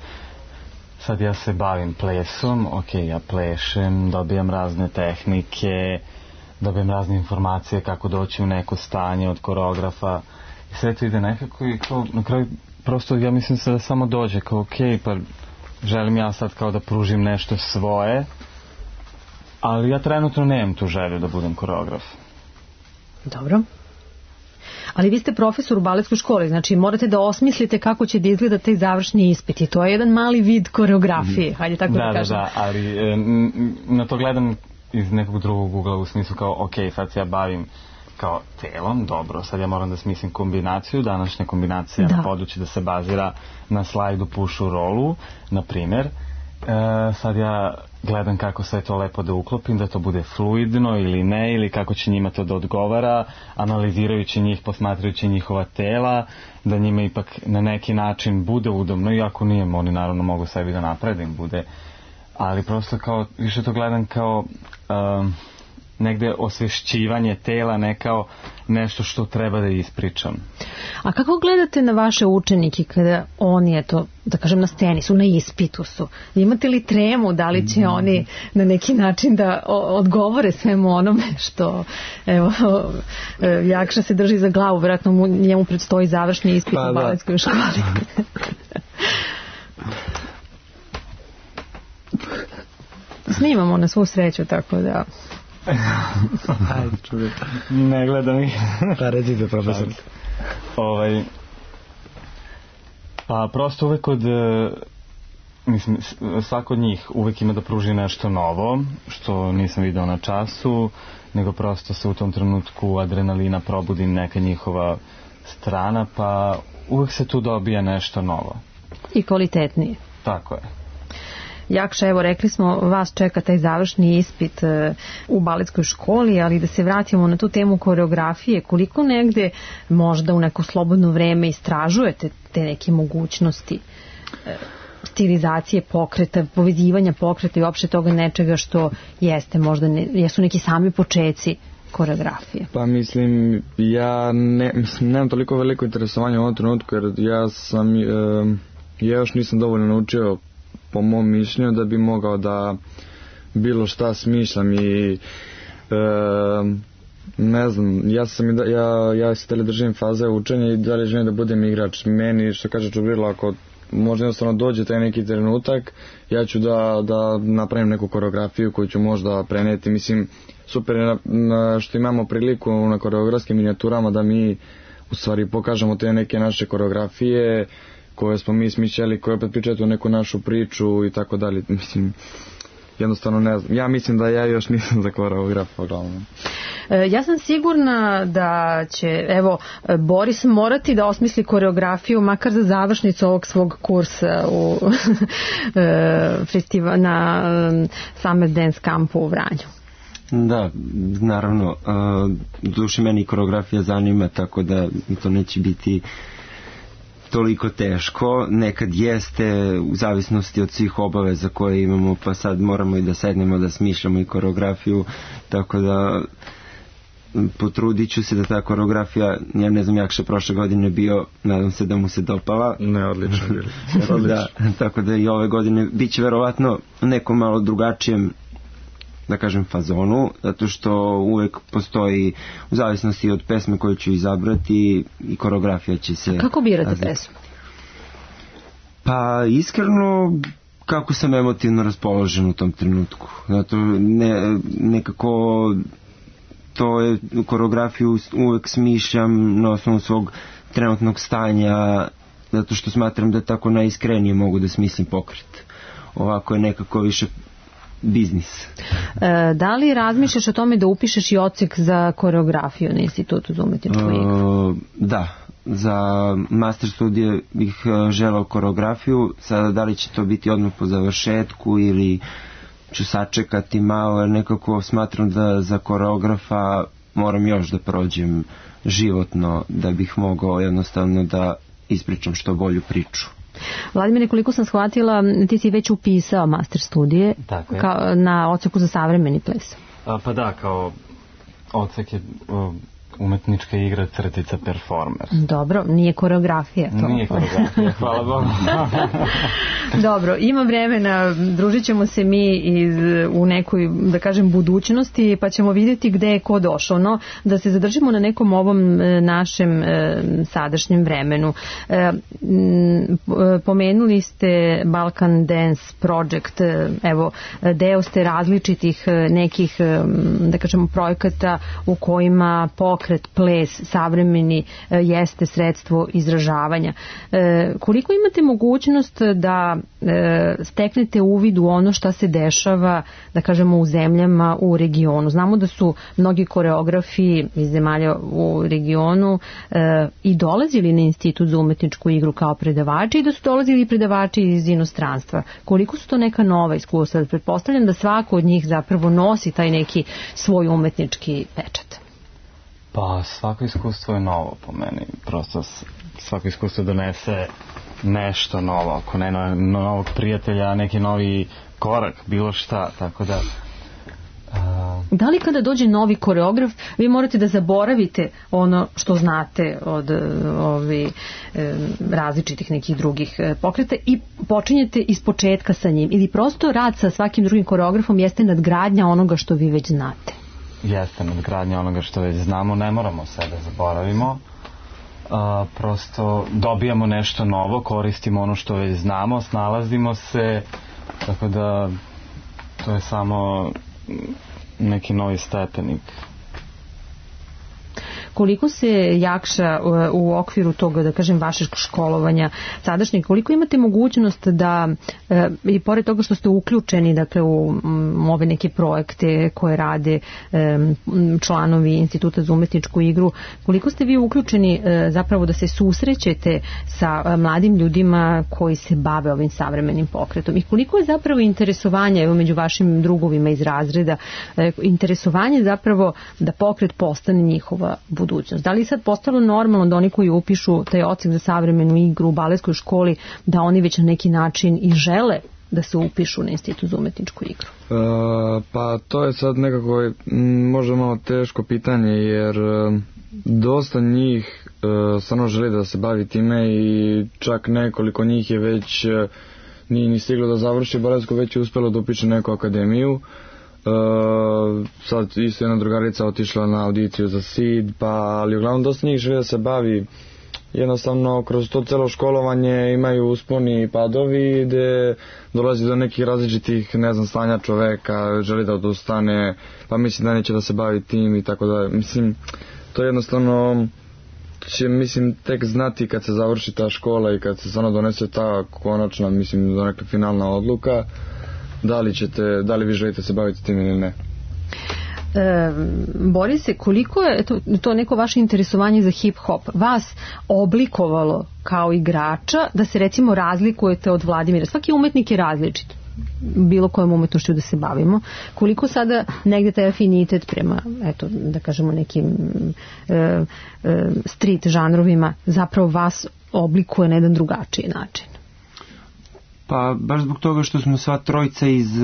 Sad ja se bavim plesom, ja plešem, dobijam razne tehnike, dobijem razne informacije kako doći u neko stanje od koreografa i sve to ide nekako i kao, na kraju prosto ja mislim da samo dođe kao pa želim ja sad kao da pružim nešto svoje, ali ja trenutno nemam tu želju da budem koreograf. Dobro. Ali vi ste profesor u baletskoj školi, znači morate da osmislite kako će da izgleda taj završni ispit i to je jedan mali vid koreografije, hajde tako da kažem. Da, ali na to gledam iz nekog drugog ugla u smislu kao sad se ja bavim kao telom, dobro, sad ja moram da smislim kombinaciju, današnja kombinacija na podući da se bazira na slajdu pušu rolu, na primer. Sad ja gledam kako sve to lepo da uklopim, da to bude fluidno ili ne, ili kako će njima to da odgovara, analizirajući njih, posmatrajući njihova tela, da njima ipak na neki način bude udobno, iako nije, oni naravno mogu sebi da naprave da im bude, ali prosto kao, više to gledam kao negde osvešćivanje tela, ne kao nešto što treba da ispričam. A kako gledate na vaše učenike kada oni, eto, da kažem, na sceni su, na ispitu su? Imate li tremu, da li će oni na neki način da odgovore svemu onome što, evo, Jakša se drži za glavu, vjerojatno njemu predstoji završni ispit u baletskoj školi. Snimamo na svu sreću, tako da Ajde, čujem. Ne gledam ih. Pa recite, profesor. Pa prosto uvek mislim, svako od njih uvek ima da pruži nešto novo, što nisam video na času, nego prosto se u tom trenutku adrenalina probudi neka njihova strana, pa uvek se tu dobija nešto novo. I kvalitetnije. Tako je. Jakša, evo rekli smo, vas čeka taj završni ispit u baletskoj školi, ali da se vratimo na tu temu koreografije, koliko negde možda u neko slobodno vreme istražujete te neke mogućnosti stilizacije pokreta, povezivanja pokreta i uopšte toga nečega što jeste možda, jesu neki sami počeci koreografije? Pa mislim, ja nemam toliko veliko interesovanje u ovom trenutku, jer ja još nisam dovoljno naučio po mom mišljenju da bi mogao da bilo šta smišljam i ne znam, ja se tele držim faze učenja i dalje želim da budem igrač. Meni, što kaže Čubrilo, ako možda jednostavno dođe taj neki trenutak, ja ću da napravim neku koreografiju koju ću možda preneti. Mislim, super je što imamo priliku na koreografskim minijaturama da mi u stvari pokažemo te neke naše koreografije koje smo mi smišljali, koje opet pričaju neku našu priču i tako dalje. Mislim, jednostavno ne znam. Ja mislim da ja još nisam za koreografa glavno. Ja sam sigurna da će, evo, Boris morati da osmisli koreografiju makar za završnicu ovog svog kursa na Summer Dance Campu u Vranju. Da, naravno, duše meni koreografija zanima, tako da to neće biti toliko teško. Nekad jeste, u zavisnosti od svih obaveza koje imamo, pa sad moramo i da sednemo da smišljamo i koreografiju, tako da potrudit ću se da ta koreografija, ja ne znam, Jakša prošle godine bio, nadam se da mu se dopala. Ne, odlično. Da, tako da i ove godine bit će verovatno nekom malo drugačijem, da kažem, fazonu, zato što uvek postoji, u zavisnosti od pesme koju ću izabrati, i koreografija će se... A kako birate pesmu? Pa iskreno, kako sam emotivno raspoložen u tom trenutku. Zato nekako to je, koreografiju uvek smišljam na osnovu svog trenutnog stanja, zato što smatram da tako najiskrenije mogu da smislim pokret. Ovako je nekako više biznis. Da li razmišljaš o tome da upišeš i odsek za koreografiju na Institutu za umetničku igru? Da, za master studije bih želao koreografiju. Sada da li će to biti odmah po završetku ili ću sačekati malo, jer nekako smatram da za koreografa moram još da prođem životno da bih mogao jednostavno da ispričam što bolju priču. Vladimire, koliko sam shvatila, ti si već upisao master studije na odseku za savremeni ples. Pa da, kao odsek je umetnička igra crtica performer. Dobro, nije koreografija to. Nije koreografija, hvala Bogu. Dobro, ima vremena, družit ćemo se mi u nekoj, da kažem, budućnosti, pa ćemo vidjeti gde je ko došao. No, da se zadržimo na nekom ovom našem sadašnjem vremenu. Pomenuli ste Balkan Dance Project, evo, deo ste različitih nekih, da kažemo, projekata u kojima pokret, ples, savremeni jeste sredstvo izražavanja. Koliko imate mogućnost da steknete uvid u ono šta se dešava, da kažemo, u zemljama u regionu? Znamo da su mnogi koreografi iz zemalja u regionu i dolazili na Institut za umetničku igru kao predavači i da su dolazili predavači iz inostranstva. Koliko su to neka nova iskustva? Pretpostavljam da svako od njih zapravo nosi taj neki svoj umetnički pečat. Pa svako iskustvo je novo po meni, prosto svako iskustvo donese nešto novo, ako ne novog prijatelja, neki novi korak, bilo šta, tako da... Da li kada dođe novi koreograf, vi morate da zaboravite ono što znate od različitih nekih drugih pokreta i počinjete iz početka sa njim, ili prosto rad sa svakim drugim koreografom jeste nadgradnja onoga što vi već znate? Jeste nadgradnja onoga što već znamo, ne moramo sve da zaboravimo, prosto dobijamo nešto novo, koristimo ono što već znamo, snalazimo se, tako da to je samo neki novi stepenik. Koliko se jakša u okviru toga, da kažem, vašeg školovanja sadašnjeg, koliko imate mogućnost da, i pored toga što ste uključeni, dakle, u ove neke projekte koje rade članovi Instituta za umetničku igru, koliko ste vi uključeni zapravo da se susrećete sa mladim ljudima koji se bave ovim savremenim pokretom i koliko je zapravo interesovanje, evo, među vašim drugovima iz razreda, interesovanje zapravo da pokret postane njihova budućnost. Da li je sad postalo normalno da oni koji upišu taj odsek za savremenu igru u baletskoj školi, da oni već na neki način i žele da se upišu na Institut za umetničku igru? Pa to je sad nekako možda malo teško pitanje, jer dosta njih stvarno želi da se bavi time i čak nekoliko njih je već nije ni stiglo da završi baletsku, već je uspjelo da upiše neku akademiju. Sad isto jedna drugarica otišla na audiciju za SID, ali uglavnom dosta njih želi da se bavi. Jednostavno kroz to celo školovanje imaju usponi i padovi gde dolazi do nekih različitih, ne znam, stanja čoveka, želi da odustane, pa misli da neće da se bavi tim i tako da. Mislim, to jednostavno će, mislim, tek znati kad se završi ta škola i kad se stvarno donese ta konačna, mislim, do neka finalna odluka, da li vi želite se baviti tim ili ne. Borise, koliko je to neko vaše interesovanje za hip-hop vas oblikovalo kao igrača da se recimo razlikujete od Vladimira? Svaki umetnik je različit, bilo kojom umetnošću da se bavimo. Koliko sada negde taj afinitet prema, eto, da kažemo, nekim street žanrovima zapravo vas oblikuje na jedan drugačiji način? Pa baš zbog toga što smo sva trojica iz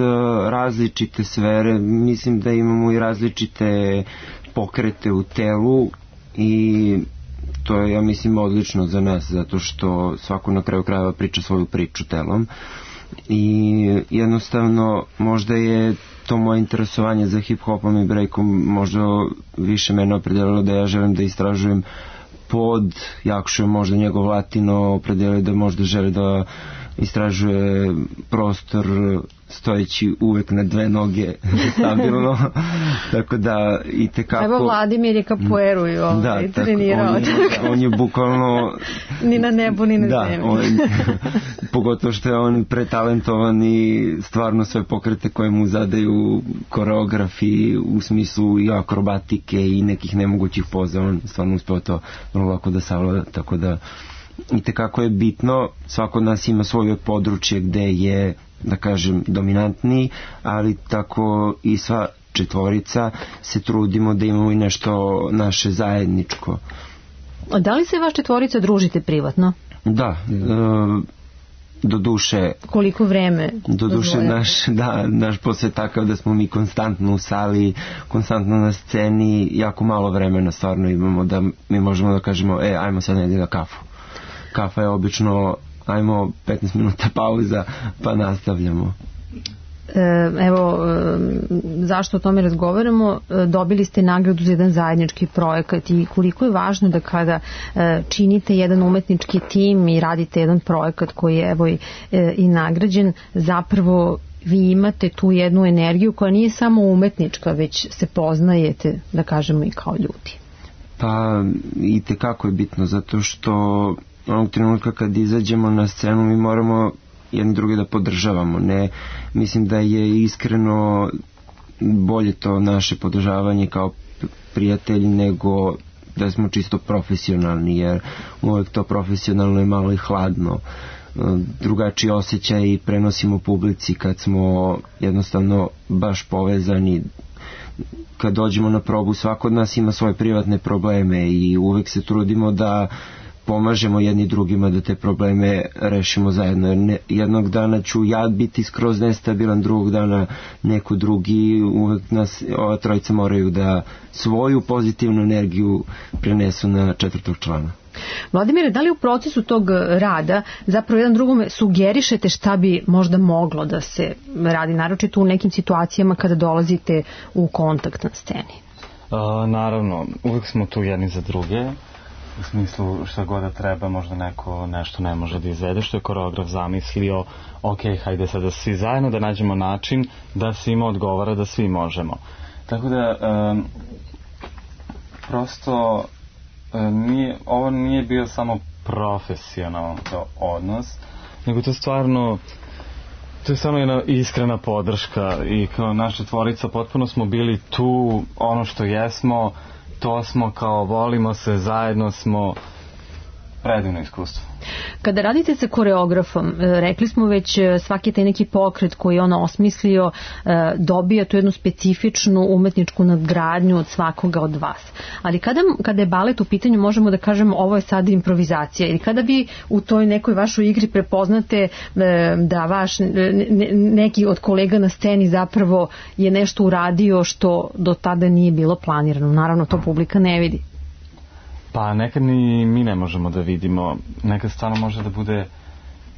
različite sfere, mislim da imamo i različite pokrete u telu i to je, ja mislim, odlično za nas, zato što svako na kraju krajeva priča svoju priču telom i jednostavno možda je to moje interesovanje za hip-hopom i breakom možda više mene opredelilo da ja želim da istražujem pod Jakšu, možda njegov latino opredelio da možda želi da istražuje prostor stojeći uvek na dve noge stabilno, tako da i tekako. Evo Vladimir je kapoeru i trenirao. On je bukvalno ni na nebu ni na zemlji. Pogotovo što je on pretalentovan i stvarno sve pokrete koje mu zadaju koreografi u smislu i akrobatike i nekih nemogućih poza, on stvarno uspeo to vrlo lako da savlada, tako da i tekako je bitno, svako od nas ima svoje područje gde je, da kažem, dominantniji, ali tako i sva četvorica se trudimo da imamo i nešto naše zajedničko. Da li se vaš četvorica družite privatno? Da, do duše. Koliko vreme? Do duše naš posao je takav da smo mi konstantno u sali, konstantno na sceni, jako malo vremena stvarno imamo da mi možemo da kažemo, ajmo sad negdje na kafu. Kafa je obično, ajmo 15 minuta pauza pa nastavljamo. Evo, zašto o tome razgovaramo? Dobili ste nagradu za jedan zajednički projekat i koliko je važno da kada činite jedan umetnički tim i radite jedan projekat koji je evo i nagrađen, zapravo vi imate tu jednu energiju koja nije samo umetnička, već se poznajete, da kažemo, i kao ljudi. Pa i tekako je bitno, zato što onog trenutka kad izađemo na scenu mi moramo jedni drugi da podržavamo. Ne, mislim da je iskreno bolje to naše podržavanje kao prijatelji nego da smo čisto profesionalni, jer uvek to profesionalno je malo i hladno. Drugačiji osjećaj prenosimo publici kad smo jednostavno baš povezani. Kad dođemo na probu, svako od nas ima svoje privatne probleme i uvek se trudimo da pomažemo jedni drugima da te probleme rešimo zajedno. Jednog dana ću ja biti skroz nestabilan, drugog dana neko drugi, uvek nas ova trojica moraju da svoju pozitivnu energiju prenesu na četvrtog člana. Vladimire, da li u procesu tog rada zapravo jedan drugome sugerišete šta bi možda moglo da se radi, naročito u nekim situacijama kada dolazite u kontakt na sceni? Naravno, uvek smo tu jedni za druge. U smislu šta god da treba, možda neko nešto ne može da izvede, što je koreograf zamislio, ok, hajde sada svi zajedno da nađemo način da svima odgovara, da svi možemo. Tako da prosto ovo nije bio samo profesionalan odnos, nego to je stvarno jedna iskrena podrška i kao naša tvorica potpuno smo bili tu, ono što jesmo, to smo, kao volimo se, zajedno smo, predivno iskustvo. Kada radite sa koreografom, rekli smo već svaki taj neki pokret koji on osmislio dobija tu jednu specifičnu umetničku nadgradnju od svakoga od vas. Ali kada je balet u pitanju, možemo da kažemo ovo je sad improvizacija, ili kada vi u toj nekoj vašoj igri prepoznate da vaš neki od kolega na sceni zapravo je nešto uradio što do tada nije bilo planirano. Naravno, to publika ne vidi. Pa nekad ni mi ne možemo da vidimo, nekad stvarno može da bude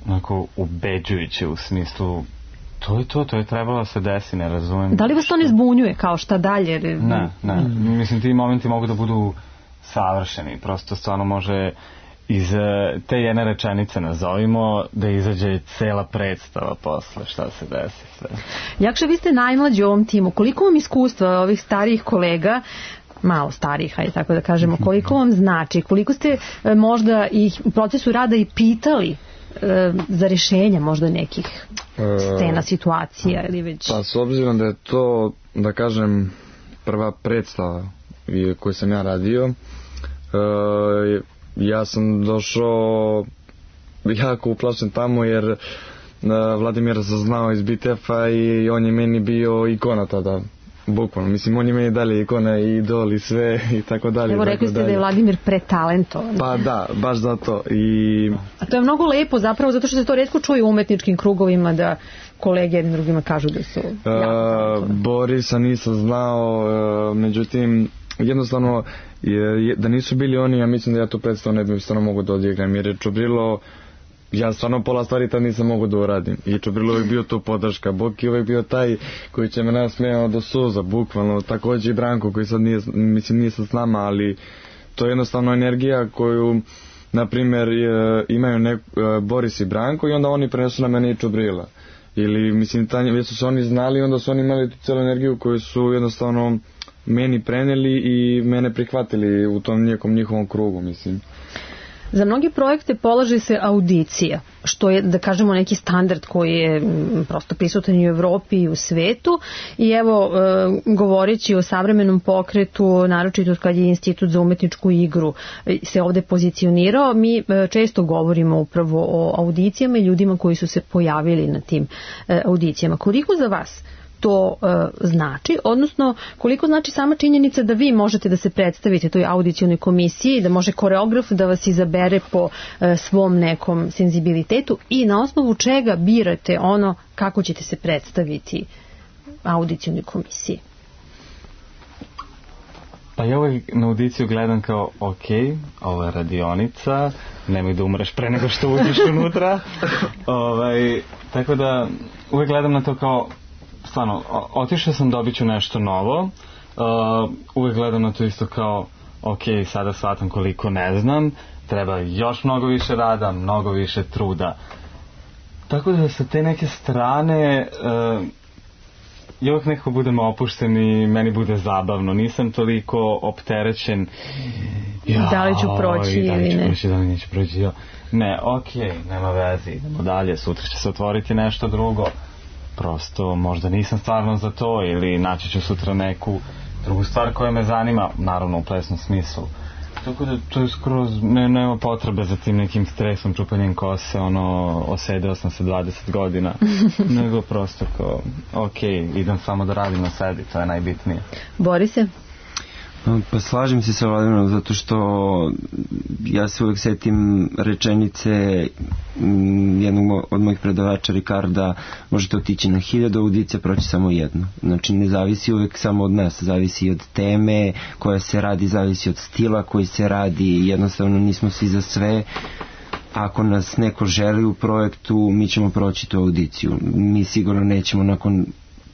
onako ubeđujuće u smislu to je trebalo da se desi, ne razumem. Da li vas to ne zbunjuje kao šta dalje? Ne, mislim ti momenti mogu da budu savršeni, prosto stvarno može iz te jedne rečenice nazovimo da izađe cela predstava posle šta se desi sve. Jakša, vi ste najmlađi u ovom timu, koliko vam iskustva ovih starijih kolega, malo starih, hajde tako da kažemo, koliko vam znači, koliko ste možda ih u procesu rada i pitali za rješenje možda nekih scena, situacija ili već... Pa s obzirom da je to, da kažem, prva predstava koju sam ja radio, ja sam došao jako uplašen tamo jer Vladimir sam znao iz BTF-a i on je meni bio ikona tada. Bukvalno, mislim, on je meni dalje ikona i idol i sve i tako dalje. Evo, rekli ste da je Vladimir pretalentovan. Pa da, baš zato. A to je mnogo lepo zapravo, zato što se to retko čuje u umetničkim krugovima da kolege jednim drugima kažu da su Borisa nisam znao, međutim, jednostavno, da nisu bili oni, ja mislim da ja tu predstavu ne bi stvarno mogu da odigram, jer je Čubrilo, ja stvarno pola stvari tad nisam mogu da uradim i Čubrilo je bio tu podrška, Boki uvijek bio taj koji će me nasmejao do suza, bukvalno, također i Branko koji sad nije sad s nama, ali to je jednostavno energija koju, na primjer, imaju Boris i Branko i onda oni prenesu na mene i Čubrila, ili mislim, već su se oni znali, onda su oni imali tu celu energiju koju su jednostavno meni preneli i mene prihvatili u tom njihovom krugu, mislim. Za mnogi projekte polaže se audicija, što je, da kažemo, neki standard koji je prosto prisutan i u Evropi i u svetu. I evo, govoreći o savremenom pokretu, naročito kad je Institut za umetničku igru se ovde pozicionirao, mi često govorimo upravo o audicijama i ljudima koji su se pojavili na tim audicijama. Koliko za vas to znači, odnosno koliko znači sama činjenica da vi možete da se predstavite toj audicionoj komisiji, da može koreograf da vas izabere po svom nekom senzibilitetu i na osnovu čega birate ono kako ćete se predstaviti audicionoj komisiji? Pa ja uvijek na audiciju gledam kao ok, ovo je radionica, nemoj da umreš pre nego što uđeš unutra. Tako da uvijek gledam na to kao stvarno, otišao sam, dobit ću nešto novo, uvijek gledam na to isto kao ok, sada shvatam koliko ne znam, treba još mnogo više rada, mnogo više truda. Tako da sa te neke strane ja uvijek nekako budem opušten i meni bude zabavno, nisam toliko opterećen da li ću proći ili ne. Da li neću proći, ne, ok, nema veze, idemo dalje, sutra će se otvoriti nešto drugo. Prosto možda nisam stvarno za to ili naći ću sutra neku drugu stvar koja me zanima, naravno u plesnom smislu. Tako da to je skroz, nema potrebe za tim nekim stresom, čupanjem kose, osedeo sam se 20 godina, nego prosto kao, ok, idem samo da radim na sebi, to je najbitnije. Borise? Pa slažem se sa Vladimirom zato što ja se uvijek setim rečenice jednog od mojih predavača Ricarda, možete otići na 1000 audicija, proći samo jednu. Znači ne zavisi uvijek samo od nas, zavisi od teme koja se radi, zavisi od stila koji se radi, jednostavno nismo svi za sve. Ako nas neko želi u projektu, mi ćemo proći tu audiciju. Mi sigurno nećemo nakon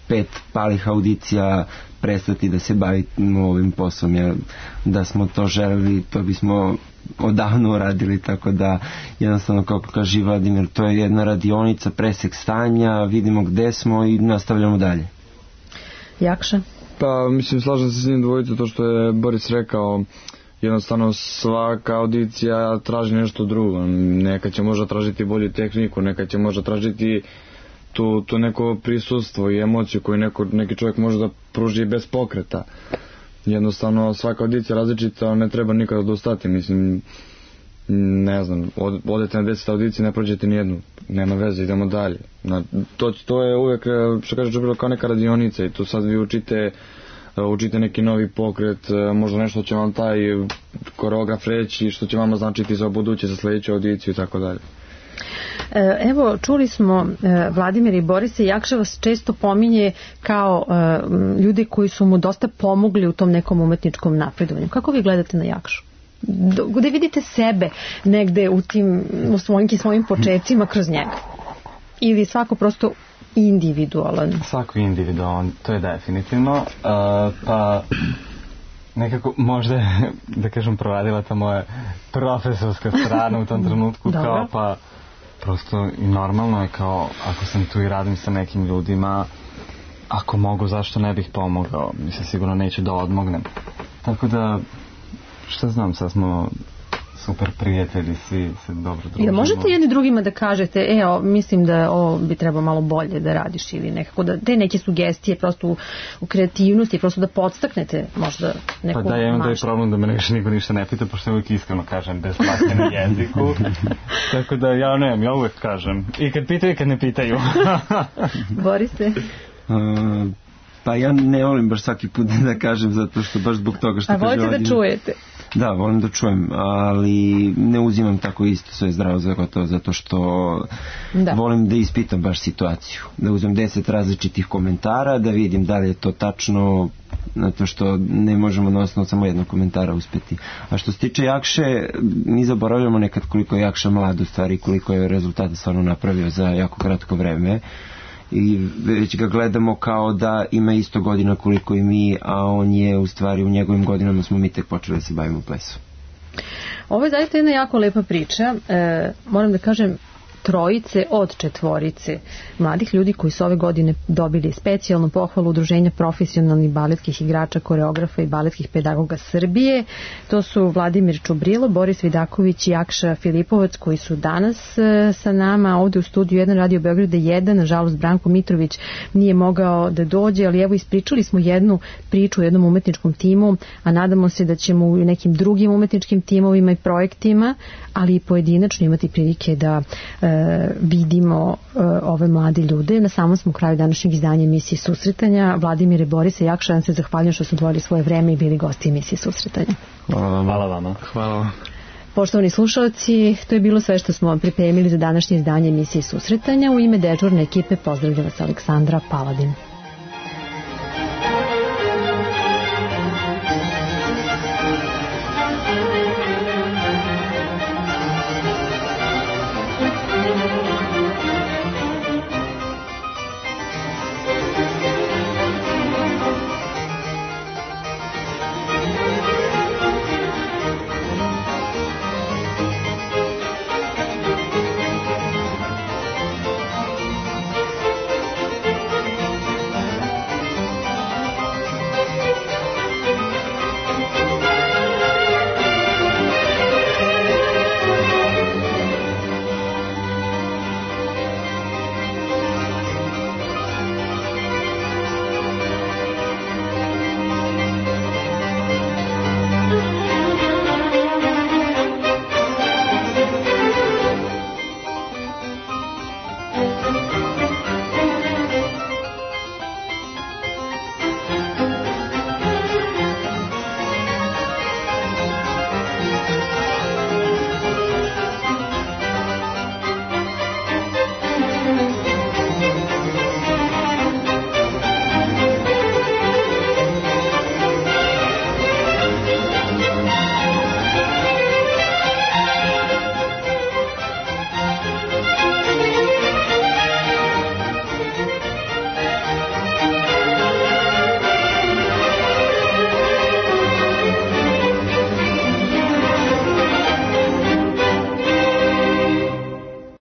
5 palih audicija prestati da se bavimo ovim poslom, jer da smo to želeli, to bismo odavno uradili, tako da jednostavno, kako kaže Vladimir, to je jedna radionica, presek stanja, vidimo gde smo i nastavljamo dalje. Jakša? Pa mislim, slažem se s njim dvojicu, to što je Boris rekao, jednostavno svaka audicija traži nešto drugo. Neka će možda tražiti bolju tehniku, neka će možda tražiti tu neko prisustvo i emociju koju neki čovjek može da pruži bez pokreta. Jednostavno svaka audicija različita, ali ne treba nikada odustati. Mislim, ne znam, odete na 10 audicije, ne prođete nijednu, nema veze, idemo dalje. To je uvijek, što kaže Džubilo, kao neka radionica i tu sad vi učite neki novi pokret, možda nešto će vam taj koreograf reći, što će vama značiti za buduće, za sljedeću audiciju i tako dalje. Evo, čuli smo Vladimir i Borisa, Jakša vas često pominje kao ljudi koji su mu dosta pomogli u tom nekom umetničkom napredovanju. Kako vi gledate na Jakšu? Gde vidite sebe negde u svojim početcima kroz njega? Ili svako prosto individualan? Svako individualan, to je definitivno. Pa nekako možda je, da kažem, proradila ta moja profesorska strana u tom trenutku. Kao pa prosto i normalno je kao ako sam tu i radim sa nekim ljudima, ako mogu, zašto ne bih pomogao? Mislim, sigurno neću da odmognem. Tako da, šta znam, sad smo super prijatelji, svi se dobro družimo. Ili možete jedni drugima da kažete, mislim da ovo bi trebalo malo bolje da radiš, ili nekako da te neke sugestije prosto u kreativnosti, prosto da podstaknete možda neku maštu. Pa da, ja imam taj problem da me niko ništa ne pita, pošto uvijek iskreno kažem bez plake na jeziku. Tako da ja uvijek kažem. I kad pitaju i kad ne pitaju. Borise? Pa ja ne volim baš svaki put da kažem, zato što baš zbog toga što kaže volite da čujete? Da, volim da čujem, ali ne uzimam tako isto sve zdravo zato što volim da ispitam baš situaciju, da uzmem 10 različitih komentara, da vidim da li je to tačno, zato što ne možemo na osnovu samo jednog komentara uspjeti. A što se tiče Jakše, mi zaboravljamo nekad koliko je Jakša mlad u stvari, koliko je rezultata stvarno napravio za jako kratko vreme. I već ga gledamo kao da ima isto godina koliko i mi, a on je u stvari u njegovim godinama smo mi tek počeli da se bavimo plesom. Ovo je zaista jedna jako lepa priča. Moram da kažem, 3 od 4 mladih ljudi koji su ove godine dobili specijalnu pohvalu Udruženja profesionalnih baletskih igrača, koreografa i baletskih pedagoga Srbije. To su Vladimir Čubrilo, Boris Vidaković i Jakša Filipovac, koji su danas sa nama ovde u studiju 1 Radio Beograda 1. Nažalost, Branko Mitrović nije mogao da dođe, ali evo ispričali smo jednu priču u jednom umetničkom timu, a nadamo se da ćemo u nekim drugim umetničkim timovima i projektima, ali i pojedinačno imati prilike da vidimo ove mlade ljude. Na samom smo kraju današnjeg izdanja emisije Susretanja. Vladimir i Borisa, Jakša, vam se zahvaljujem što su odvojili svoje vreme i bili gosti emisije Susretanja. Hvala vama. Hvala. Poštovani slušalci, to je bilo sve što smo vam pripremili za današnje izdanje emisije Susretanja. U ime dežurne ekipe pozdravlja vas Aleksandra Paladin.